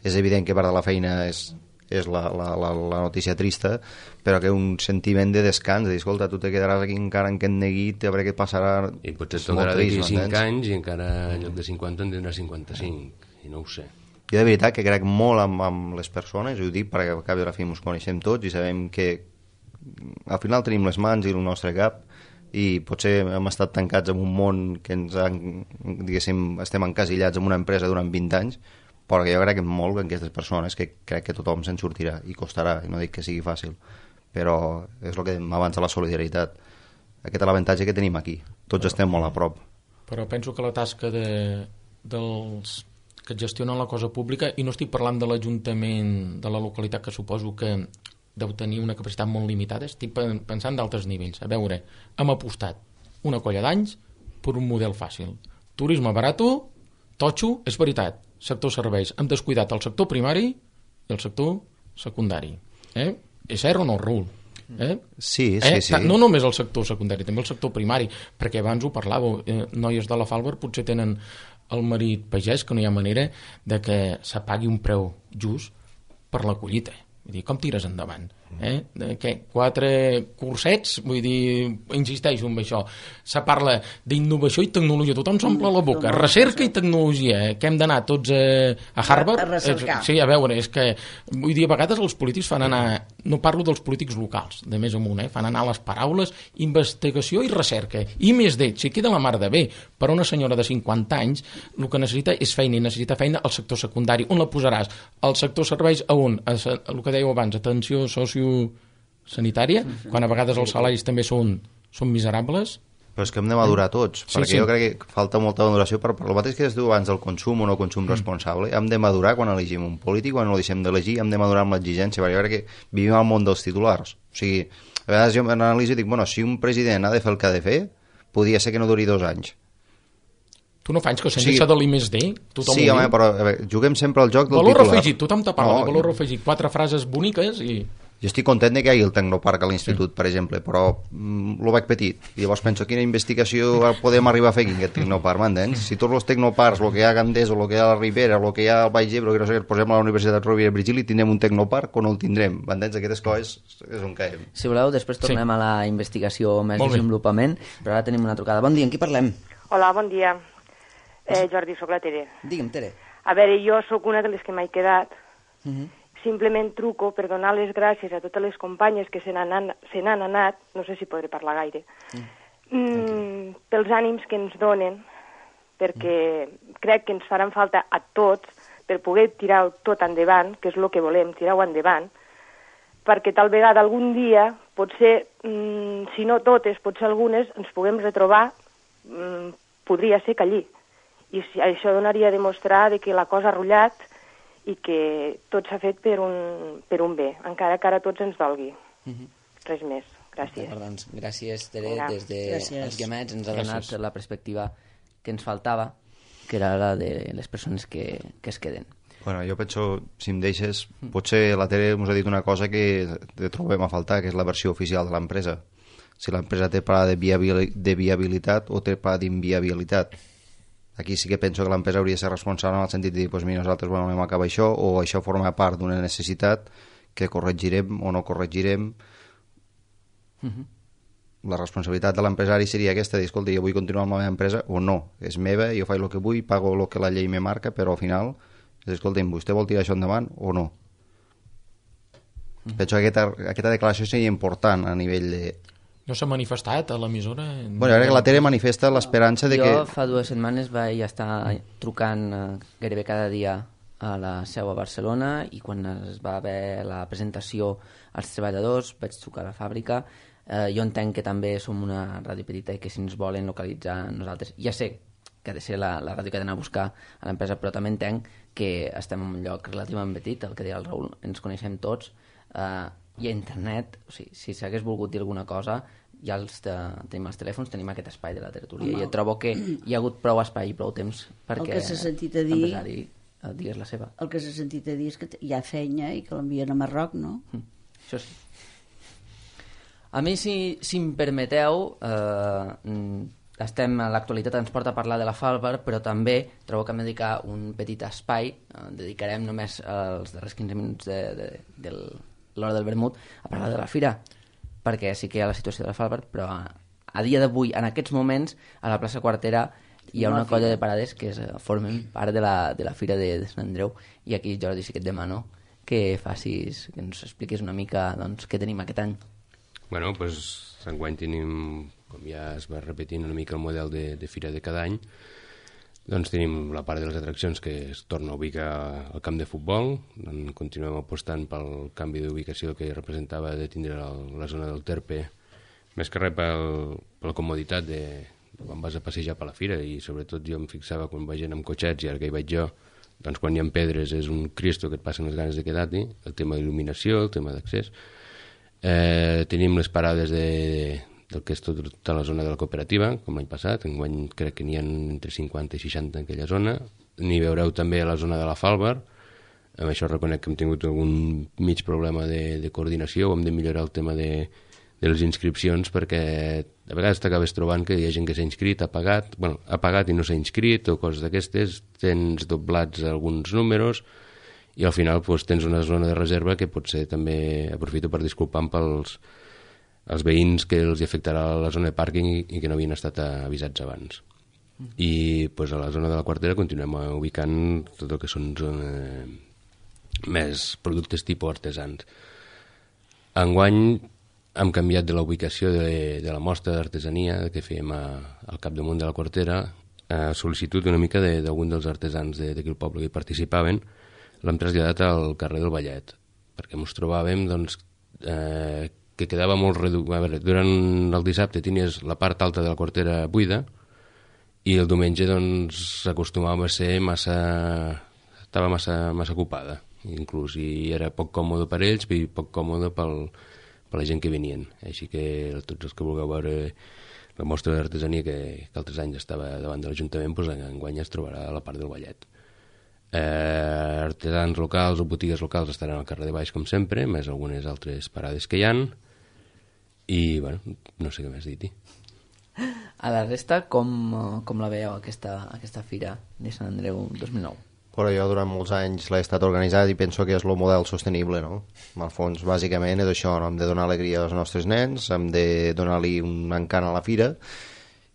és evident que part de la feina és la notícia trista, però que un sentiment de descans, de dir, escolta, tu te quedaràs aquí encara en aquest neguit, a veure què passarà... I potser et tocarà d'aquí 5 anys i encara en lloc de 50 en tindrà 55, i no ho sé. Jo de veritat que crec molt amb les persones, ho dic perquè al cap i a la fi ens coneixem tots i sabem que al final tenim les mans i el nostre cap i potser hem estat tancats en un món que diguéssim, estem encasillats en una empresa durant 20 anys, però que jo crec molt en aquestes persones, que crec que tothom se'n sortirà i costarà, i no dic que sigui fàcil, però és el que dèiem abans de la solidaritat. Aquest és l'avantatge que tenim aquí, tots estem molt a prop. Però penso que la tasca dels que gestionen la cosa pública, i no estic parlant de l'Ajuntament de la localitat, que suposo que deu tenir una capacitat molt limitada, estic pensant d'altres nivells. A veure, hem apostat una colla d'anys per un model fàcil. Turisme barato, totxo, és veritat, sector serveis. Hem descuidat el sector primari i el sector secundari. És cert o no, Raül? Sí. No només el sector secundari, també el sector primari, perquè abans ho parlàveu, noies de la Falber potser tenen el marit pagès, que no hi ha manera de que s'apagui un preu just per la collita. Vull dir, com tires endavant? Què? 4 cursets? Vull dir, insisteixo en això. Se parla d'innovació i tecnologia, tothom s'omple la boca. Recerca i tecnologia, que hem d'anar tots a Harvard? A recercar. Sí, a veure, és que, vull dir, a vegades els polítics fan anar, no parlo dels polítics locals, de més amunt, fan anar les paraules, investigació i recerca, i més d'ells, si queda la mar de bé, per una senyora de 50 anys, el que necessita és feina, i necessita feina al sector secundari. On la posaràs? Al sector serveis, a on? El que dèieu abans, atenció sociosanitària, quan a vegades els salaris també són miserables. Però és que hem de madurar tots, perquè jo crec que falta molta maduració per el mateix que es diu abans del consum o no consum responsable. Hem de madurar quan elegim un polític, quan no el deixem d'elegir, hem de madurar amb l'exigència, perquè jo crec que vivim al món dels titulars. O sigui, a vegades jo m'analitzo i dic, bueno, si un president ha de fer el que ha de fer, podria ser que no duri 2 anys. Tu no faig que sense això de l'I+D? Sí, home, però juguem sempre al joc del valor titular. Afegit, tothom te parla de valor afegit, 4 frases boniques i... Jo estic content que hi hagi el Tecnoparc a l'institut, per exemple, però lo veig petit. I llavors penso, quina investigació podem arribar a fer aquí, aquest Tecnoparc, m'entens? Si tots els Tecnoparcs, el que hi ha a Gandés, o el que hi ha a la Ribera, el que hi ha al Baix Ebre, que no sé què, posem a la Universitat Rovira i Virgili, tindrem un Tecnoparc o no el tindrem, m'entens? Aquestes coses és on caiem. Si voleu, després tornem a la investigació més desenvolupament, però ara tenim una trucada. Bon dia, amb qui parlem? Hola, bon dia. Jordi, soc la Tere. Digue'm, Tere. A veure, jo sóc una de les que m'he quedat. Simplement truco per donar les gràcies a totes les companyes que se n'han anat, no sé si podré parlar gaire, pels ànims que ens donen, perquè crec que ens faran falta a tots per poder tirar tot endavant, que és el que volem, tirar-ho endavant, perquè tal vegada algun dia, potser, si no totes, potser algunes, ens puguem retrobar, podria ser que allí. I això donaria a demostrar que la cosa ha rotllat i que tot s'ha fet per un bé, encara que ara tots ens dolgui. Res més. Gràcies. Doncs, gràcies, Tere. Des dels Guiamets ens ha donat la perspectiva que ens faltava, que era la de les persones que es queden. Bueno, jo penso, si em deixes, potser la Tere ens ha dit una cosa que trobem a faltar, que és la versió oficial de l'empresa. Si l'empresa té pla de viabilitat o té pla d'inviabilitat. Aquí sí que penso que l'empresa hauria de ser responsable en el sentit de dir, doncs mira, nosaltres volem acabar això, o això forma part d'una necessitat que corregirem o no corregirem, La responsabilitat de l'empresari seria aquesta, dir, escolta, jo vull continuar amb la meva empresa o no, és meva, jo faig el que vull, pago el que la llei me marca, però al final, escolta'm, vostè vol tirar això endavant o no? Penso que aquesta declaració seria important a nivell de... No s'ha manifestat a l'emissora? Bueno, ara que la Tere manifesta l'esperança de que... Jo fa 2 setmanes vaig estar trucant gairebé cada dia a la seu a Barcelona i quan es va haver la presentació als treballadors vaig trucar a la fàbrica. Jo entenc que també som una ràdio petita i que si ens volen localitzar nosaltres, ja sé que ha de ser la ràdio que ha d'anar a buscar a l'empresa, però també entenc que estem en un lloc relativament petit, el que deia el Raül, ens coneixem tots, i a internet, o sigui, si s'hagués volgut dir alguna cosa, ja tenim els telèfons, tenim aquest espai de la tertúlia, i jo trobo que hi ha hagut prou espai i prou temps perquè l'empresari digués la seva. El que s'ha sentit a dir és que hi ha feina i que l'envien a Marroc, no? Això sí. A mi, si em permeteu, l'actualitat ens porta a parlar de la Falbar, però també trobo que hem de dedicar un petit espai, dedicarem només els darrers 15 minuts de l'hora del vermut a parlar de la fira, perquè sí que hi ha la situació de la Falbar, però a dia d'avui, en aquests moments, a la plaça Quartera hi ha una colla de parades que formen part de la fira de Sant Andreu, i aquí, Jordi, sí que et demano que ens expliquis una mica doncs, què tenim aquest any. Bueno, doncs enguany tenim, com ja es va repetint una mica el model de fira de cada any, doncs tenim la part de les atraccions que es torna a ubicar al camp de futbol, continuem apostant pel canvi d'ubicació que representava de tindre la zona del Terpe, més que res per la comoditat de quan vas a passejar per la fira, i sobretot jo em fixava quan va gent amb cotxets, i ara que hi vaig jo, doncs quan hi ha pedres és un cristo que et passen les ganes de quedar-hi, el tema d'il·luminació, el tema d'accés. Tenim les parades del que és tota la zona de la cooperativa, com l'any passat, enguany crec que n'hi ha entre 50 i 60 en aquella zona. N'hi veureu també a la zona de la Falbar. Amb això reconec que hem tingut algun mig problema de coordinació, hem de millorar el tema de les inscripcions, perquè a vegades t'acabes trobant que hi ha gent que s'ha inscrit, ha pagat i no s'ha inscrit, o coses d'aquestes, tens doblats alguns números, i al final tens una zona de reserva que potser també aprofito per disculpar pels veïns que els afectarà la zona de pàrquing i que no havien estat avisats abans. I a la zona de la Quartera continuem ubicant tot el que són més productes tipus artesans. Enguany hem canviat de la ubicació de la mostra d'artesania que fèiem al capdamunt de la Quartera, a sol·licitud una mica d'algun dels artesans d'aquí al poble que hi participaven. L'hem traslladat al carrer del Vallet, perquè ens trobàvem que quedava molt reduït. A veure, durant el dissabte tenies la part alta de la Quartera buida i el diumenge acostumava a ser estava massa ocupada, inclús, i era poc còmode per ells i poc còmode per la gent que venien. Així que tots els que vulgueu veure la mostra d'artesania que altres anys estava davant de l'Ajuntament, enguany es trobarà a la part del Vallet. Artesans locals o botigues locals estaran al carrer de baix com sempre, més algunes altres parades que hi han, i bueno, no sé què més dir-hi. A la resta, com la veieu aquesta fira de Sant Andreu 2009? Però jo durant molts anys l'he estat organitzat i penso que és el model sostenible, no? Al fons, bàsicament és això, no? Hem de donar alegria als nostres nens, hem de donar-li un encant a la fira,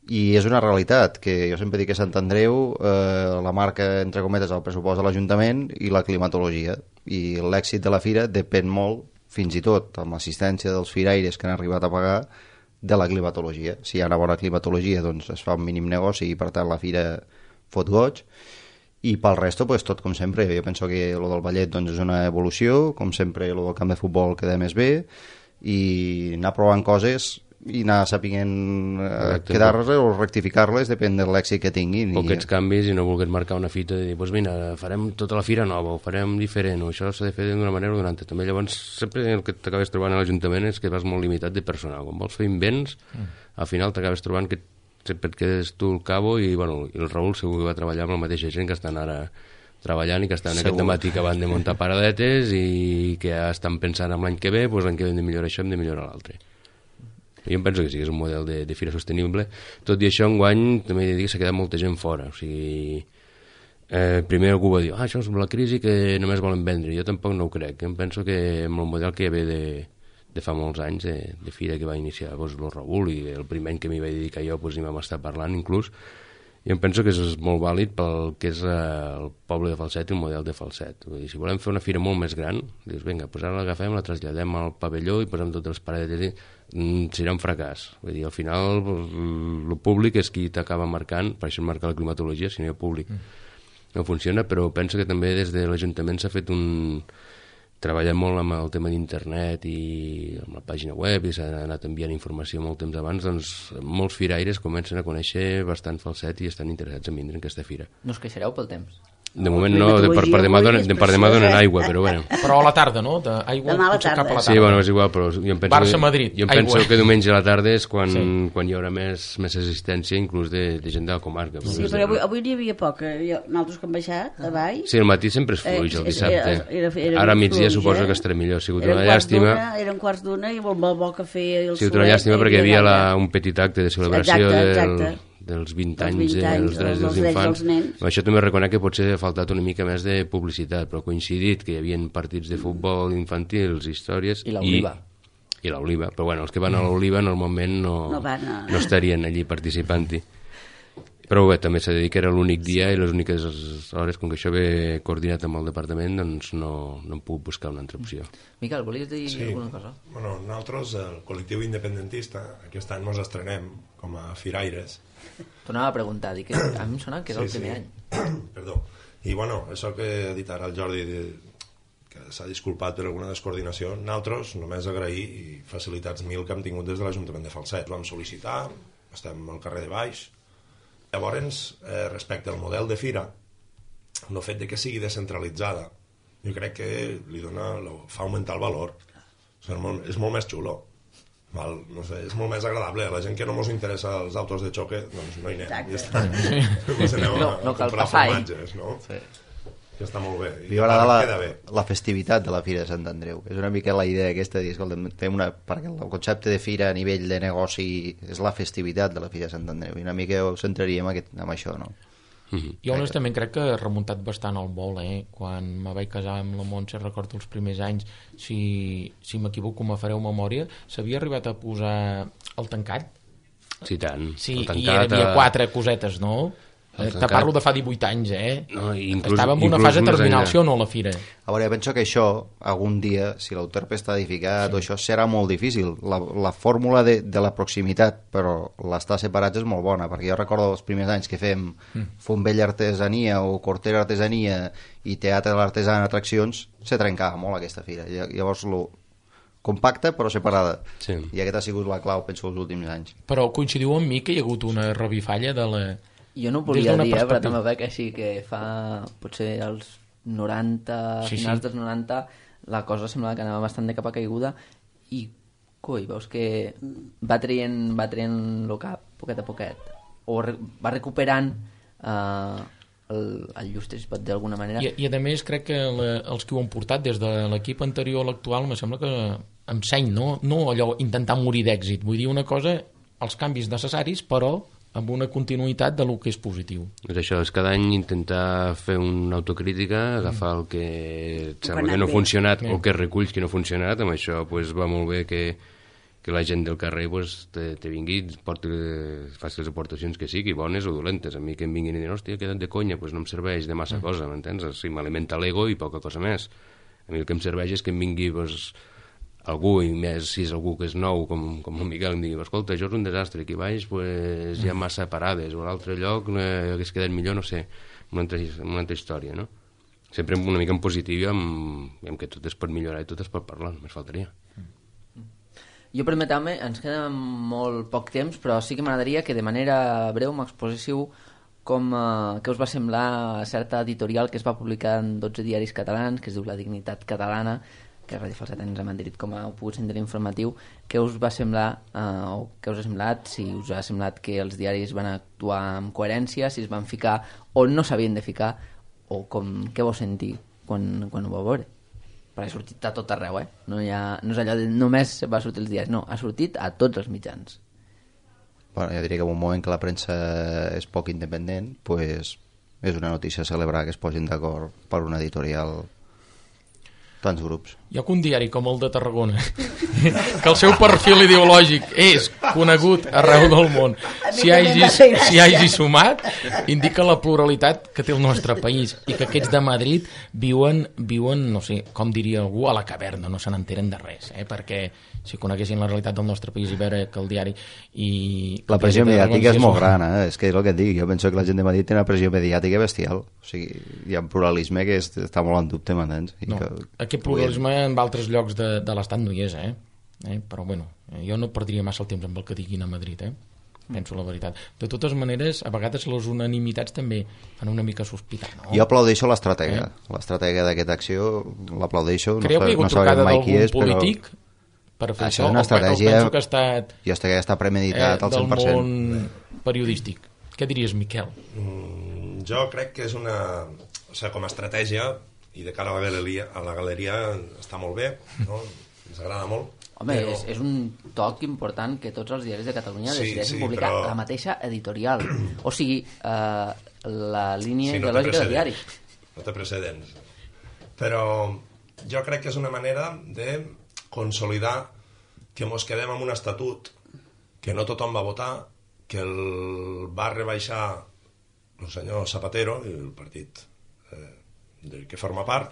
i és una realitat, que jo sempre dic que Sant Andreu la marca, entre cometes, el pressupost de l'Ajuntament i la climatologia, i l'èxit de la fira depèn molt, fins i tot amb l'assistència dels firaires que han arribat a pagar, de la climatologia. Si hi ha una bona climatologia, doncs es fa un mínim negoci i per tant la fira fot goig, i pel resto, pues, tot com sempre. Jo penso que lo del ballet doncs, és una evolució, com sempre lo del camp de futbol queda més bé, i anar provant coses i anar sapiguent quedar-les o rectificar-les, depèn de l'èxit que tinguin. O aquests canvis i no volgués marcar una fita i dir, doncs mira, farem tota la fira nova, ho farem diferent, o això s'ha de fer d'una manera o d'una altra. També llavors sempre el que t'acabes trobant a l'Ajuntament és que vas molt limitat de personal. Quan vols fer invents, al final t'acabes trobant que sempre et quedes tu al cabo i, bueno, el Raül segur que va treballar amb la mateixa gent que estan ara treballant i que estan aquest dematí que van de muntar paradetes i que ja estan pensant en l'any que ve, doncs l'any que ve hem de millorar això, hem de millorar l'altre. Jo em penso que sí que és un model de fira sostenible. Tot i això, enguany també he de dir que s'ha quedat molta gent fora. O sigui, primer algú va dir, això és la crisi que només volen vendre. Jo tampoc no ho crec. Em penso que amb el model que hi ha de fa molts anys, de fira que va iniciar el Raül, i el primer any que m'hi vaig dedicar jo hi vam estar parlant inclús, i em penso que és molt vàlid pel que és el poble de Falset i el model de Falset. Vull dir, si volem fer una fira molt més gran, dius, vinga, doncs ara l'agafem, la traslladem al pavelló i posem totes les paredes, serà un fracàs. Vull dir, al final el públic és qui t'acaba marcant, per això es marca la climatologia, si no hi ha públic no funciona, però penso que també des de l'Ajuntament s'ha fet treballat molt amb el tema d'internet i amb la pàgina web, i s'ha anat enviant informació molt temps abans, doncs molts firaires comencen a conèixer bastant Falset i estan interessats en vindre en aquesta fira. No us queixareu pel temps? De moment no, per demà donen aigua, però bueno. Però a la tarda, no? Aigua potser cap a la tarda. Sí, bueno, és igual, però jo em penso, Barça-Madrid, jo em penso que diumenge a la tarda és quan hi haurà més assistència, inclús de gent de la comarca. Sí, però avui n'hi havia poc. Nosaltres que hem baixat a baix... Sí, el matí sempre és fluix, el dissabte. Ara a migdia suposo que estarà millor. Ha sigut una llàstima. Eren quarts d'una i molt bo que feia el solet. Ha sigut una llàstima perquè hi havia un petit acte de celebració dels 20 anys dels drets dels infants. Això també reconec que potser ha faltat una mica més de publicitat, però ha coincidit que hi havia partits de futbol infantils, històries... I l'Oliva. I l'Oliva, però bueno, els que van a l'Oliva normalment no estarien allí participant-hi. Però bé, també s'ha de dir que era l'únic dia i les úniques hores, com que això ve coordinat amb el departament, doncs no em puc buscar una altra opció. Miquel, volies dir alguna cosa? Bueno, nosaltres, el col·lectiu independentista, aquest any ens estrenem com a firaires. Tornava a preguntar, dic que a mi em sona que és el primer any. Perdó. I bueno, això que ha dit ara el Jordi, que s'ha disculpat per alguna descoordinació, nosaltres només agrair i facilitats mil que hem tingut des de l'Ajuntament de Falset. Vam sol·licitar, estem al carrer de Baix. Llavors, respecte al model de fira, el fet de que sigui descentralitzada, jo crec que fa augmentar el valor. És molt més xulo. No sé, és molt més agradable. A la gent que no ens interessa els autos de xoque, doncs no hi anem. No cal passar, no? Sí. Que està molt bé. I m'agrada la festivitat de la Fira de Sant Andreu. És una mica la idea aquesta de dir, escolta, perquè el concepte de fira a nivell de negoci és la festivitat de la Fira de Sant Andreu, i una mica ho centraríem amb això, no? Jo honestament crec que he remuntat bastant el vol, quan me vaig casar amb la Montse, recordo els primers anys, si m'equivoco me fareu memòria, s'havia arribat a posar el tancat? Sí, tant. Sí, i hi havia 4 cosetes, no? Te parlo de fa 18 anys, No, estava en una fase terminal, sí o no, la fira? A veure, penso que això, algun dia, si l'Euterpe està edificat, o això serà molt difícil. La fórmula de la proximitat, però l'estar separats és molt bona, perquè jo recordo els primers anys que fem Fontbell Artesania o Cortera Artesania i Teatre de l'Artesà en atraccions, se trencava molt aquesta fira. Llavors, compacta però separada. Sí. I aquesta ha sigut la clau, penso, els últims anys. Però coincidiu amb mi que hi ha hagut una revifalla de la... Jo no ho volia dir, però també veig així que fa potser els 90, finals dels 90, la cosa semblava que anava bastant de capa caiguda i, veus que va traient el cap poquet a poquet, o va recuperant el llustre, si pot dir d'alguna manera. I a més crec que els que ho han portat des de l'equip anterior a l'actual me sembla que amb seny, no allò intentar morir d'èxit, vull dir una cosa, els canvis necessaris, però amb una continuïtat de lo que és positiu. És això, és cada any intentar fer una autocrítica, agafar el que et sembla que no ha funcionat o que reculls que no ha funcionat. Amb això va molt bé que la gent del carrer te vingui i faci les aportacions que sigui, bones o dolentes. A mi que em vinguin i dir, hòstia, queda't de conya, no em serveix de massa cosa, m'entens? Sí, m'alimenta l'ego i poca cosa més. A mi el que em serveix és que em vingui algú, i més si és algú que és nou, com el Miquel, em digui, escolta, això és un desastre, aquí baix hi ha massa parades, o a l'altre lloc hagués quedat millor, no sé, una altra història, no? Sempre una mica en positiu, amb que tot es pot millorar i tot es pot parlar, només faltaria. Jo, permeteu-me, ens queda molt poc temps, però sí que m'agradaria que de manera breu m'exposíssiu què us va semblar certa editorial que es va publicar en 12 diaris catalans, que es diu La Dignitat Catalana, que Ràdio Falset ens hem adherit com a pogut sentir informatiu. Què us va semblar, o què us ha semblat, si us ha semblat que els diaris van actuar amb coherència, si es van ficar on no s'havien de ficar, o què vau sentir quan ho vau veure? Perquè ha sortit a tot arreu, no és allò de només va sortir els diaris, no, ha sortit a tots els mitjans. Bueno, jo diria que en un moment que la premsa és poc independent, pues és una notícia a celebrar que es posin d'acord per una editorial tants grups. Hi ha un diari com el de Tarragona que el seu perfil ideològic és conegut arreu del món. Si hagi sumat, indica la pluralitat que té el nostre país i que aquests de Madrid viuen, no sé, com diria algú, a la caverna, no se n'enteren de res, perquè si coneguessin la realitat del nostre país i veure que el diari... La pressió mediàtica és molt gran, és que és el que et dic. Jo penso que la gent de Madrid té una pressió mediàtica bestial. O sigui, hi ha un pluralisme que està molt en dubte, m'entens? No, aquest pluralisme en altres llocs de l'estat no hi és, però bueno, jo no perdria massa el temps amb el que diguin a Madrid, penso la veritat. De totes maneres, a vegades les unanimitats també fan una mica sospitar, no? Jo aplaudeixo l'estratègia. L'estratègia d'aquesta acció l'aplaudeixo. Creu que hi ha hagut trucada d'algun polític per fer això? És una estratègia... Penso que ha estat... Jo estic que està premeditat al 100%. Del món periodístic. Què diries, Miquel? Jo crec que és una... O sigui, com a estratègia, i de cara a la galeria està molt bé, no? Ens agrada molt. Home, però... és un toc important que tots els diaris de Catalunya decideixin publicar la mateixa editorial. O sigui, la línia ideològica del diari. No té precedents. Però jo crec que és una manera de consolidar que mos quedem amb un estatut que no tothom va votar, que el va rebaixar el senyor Zapatero i el partit del que forma part,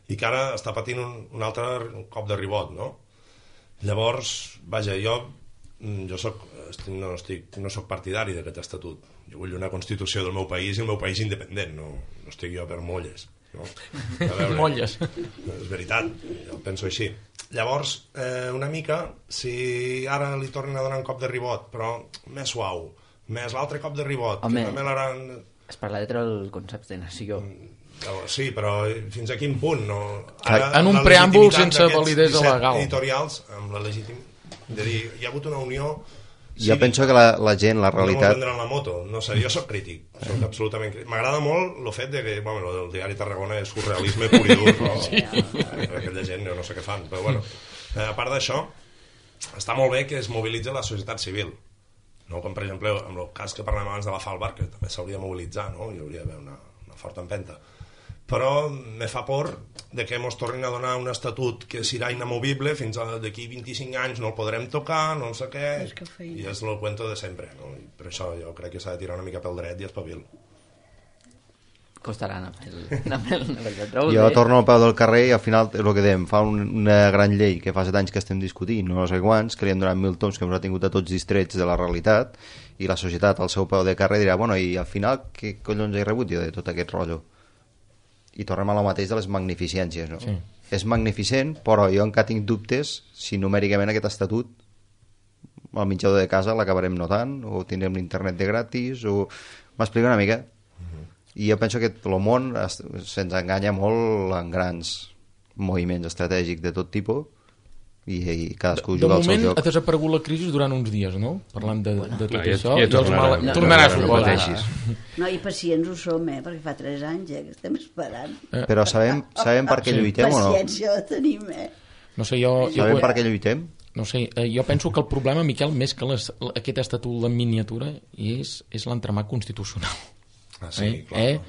i que ara està patint un altre cop de ribot, no? Llavors, vaja, jo no soc partidari d'aquest estatut. Jo vull una Constitució del meu país i el meu país independent, no estic jo per molles, no? Molles. És veritat, jo penso així. Llavors, una mica, si ara li tornen a donar un cop de ribot, però més suau, més l'altre cop de ribot, home, que també l'aran... Es parla de treure el concepte de nació. Sí, però fins a quin punt? No? Ara, en un preàmbul sense validesa legal. Editorials, amb la de dir, hi ha hagut una unió... Jo penso que la gent, la realitat... No vendran la moto, no sé, jo soc crític, soc absolutament crític. M'agrada molt el fet de que, bueno, el diari Tarragona és surrealisme pur i dur, però sí. Aquella gent no sé què fan, però bueno, a part d'això, està molt bé que es mobilitzi la societat civil, no? Com per exemple, en el cas que parlem abans de la Falbar, que també s'hauria de mobilitzar, no? Hi hauria d'haver una forta empenta. Però me fa por de que ens tornin a donar un estatut que serà inamovible fins d'aquí 25 anys, no el podrem tocar, no sé què, i és el cuento de sempre, no? I per això jo crec que s'ha de tirar una mica pel dret i espavil. Costarà anar pel jo torno al peu del carrer i al final el que dèiem, fa una gran llei que fa 7 anys que estem discutint, no sé quants, que li hem donat 1.000 toms que ens ha tingut a tots distrets de la realitat, i la societat al seu peu de carrer dirà, bueno, i al final què collons he rebut jo de tot aquest rotllo? I tornem a la mateix de les magnificències, no? Sí. És magnificent, però jo encara tinc dubtes si numèricament aquest estatut al menjador de casa l'acabarem notant, o tindrem l'internet de gratis, o... M'explico una mica? I jo penso que el món se'ns enganya molt en grans moviments estratègics de tot tipus, i cadascú juga al seu joc. De moment ha desaparegut la crisi durant uns dies, no? Parlant de tot això. Ja tornarà a suposar. No, i pacients ho som, perquè fa 3 anys que estem esperant. Però sabem per què lluitem o no? Paciència la tenim, No sé, sabem per què lluitem? No sé, jo penso que el problema, Miquel, més que aquest estatut en miniatura és l'entramat constitucional. Ah, sí, clar.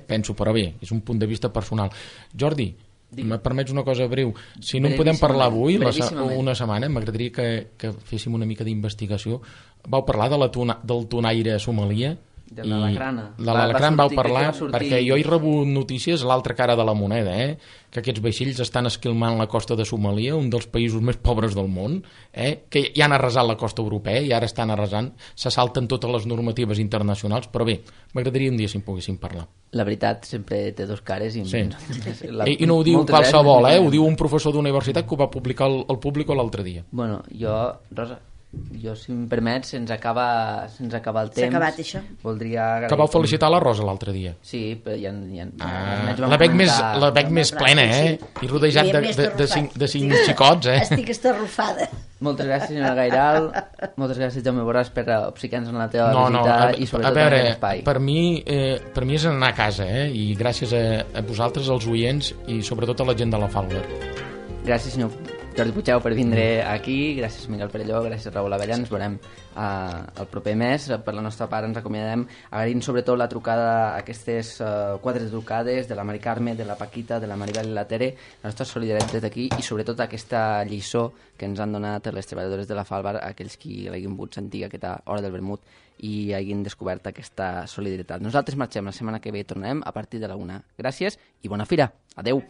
Penso, però bé, és un punt de vista personal. Jordi, me permets una cosa breu, si no en podem parlar avui una setmana, m'agradaria que féssim una mica d'investigació. Vau parlar del tunaire a Somalia, de l'Alacran vau parlar, perquè jo he rebut notícies l'altra cara de la moneda, que aquests vaixells estan esquilmant la costa de Somalia, un dels països més pobres del món, que ja han arrasat la costa europea i ara estan arrasant, se salten totes les normatives internacionals, però bé, m'agradaria un dia si en poguéssim parlar. La veritat sempre té dos cares i no ho diu qualsevol, ho diu un professor d'universitat que ho va publicar al Público l'altre dia. Bueno, Rosa, si em permets, se'ns acaba el temps. S'ha acabat això. Voldria agrair... Que vau felicitar la Rosa l'altre dia. Sí, però ja la veig més plena, i rodejat de 5 xicots, Estic estarrufada. Moltes gràcies, senyora Gairal. Moltes gràcies, Jaume Borràs, per obsequiar-nos en la teva visita i sobretot en aquest espai. Per mi és anar a casa, i gràcies a vosaltres, als oients, i sobretot a la gent de la Falber. Gràcies, senyor Jordi Puigdeu per vindre aquí, gràcies Miquel Perelló, gràcies Raül Abella, ens veurem el proper mes. Per la nostra part ens acomiadem agraint sobretot la trucada, aquestes 4 trucades de la Mari Carme, de la Paquita, de la Maribel i la Tere, la nostra solidaritat des d'aquí i sobretot aquesta lliçó que ens han donat les treballadores de la Falbar, aquells qui l'hagin pogut sentir aquesta hora del vermut i hagin descobert aquesta solidaritat. Nosaltres marxem, la setmana que ve tornarem a partir de la 1. Gràcies i bona fira. Adeu.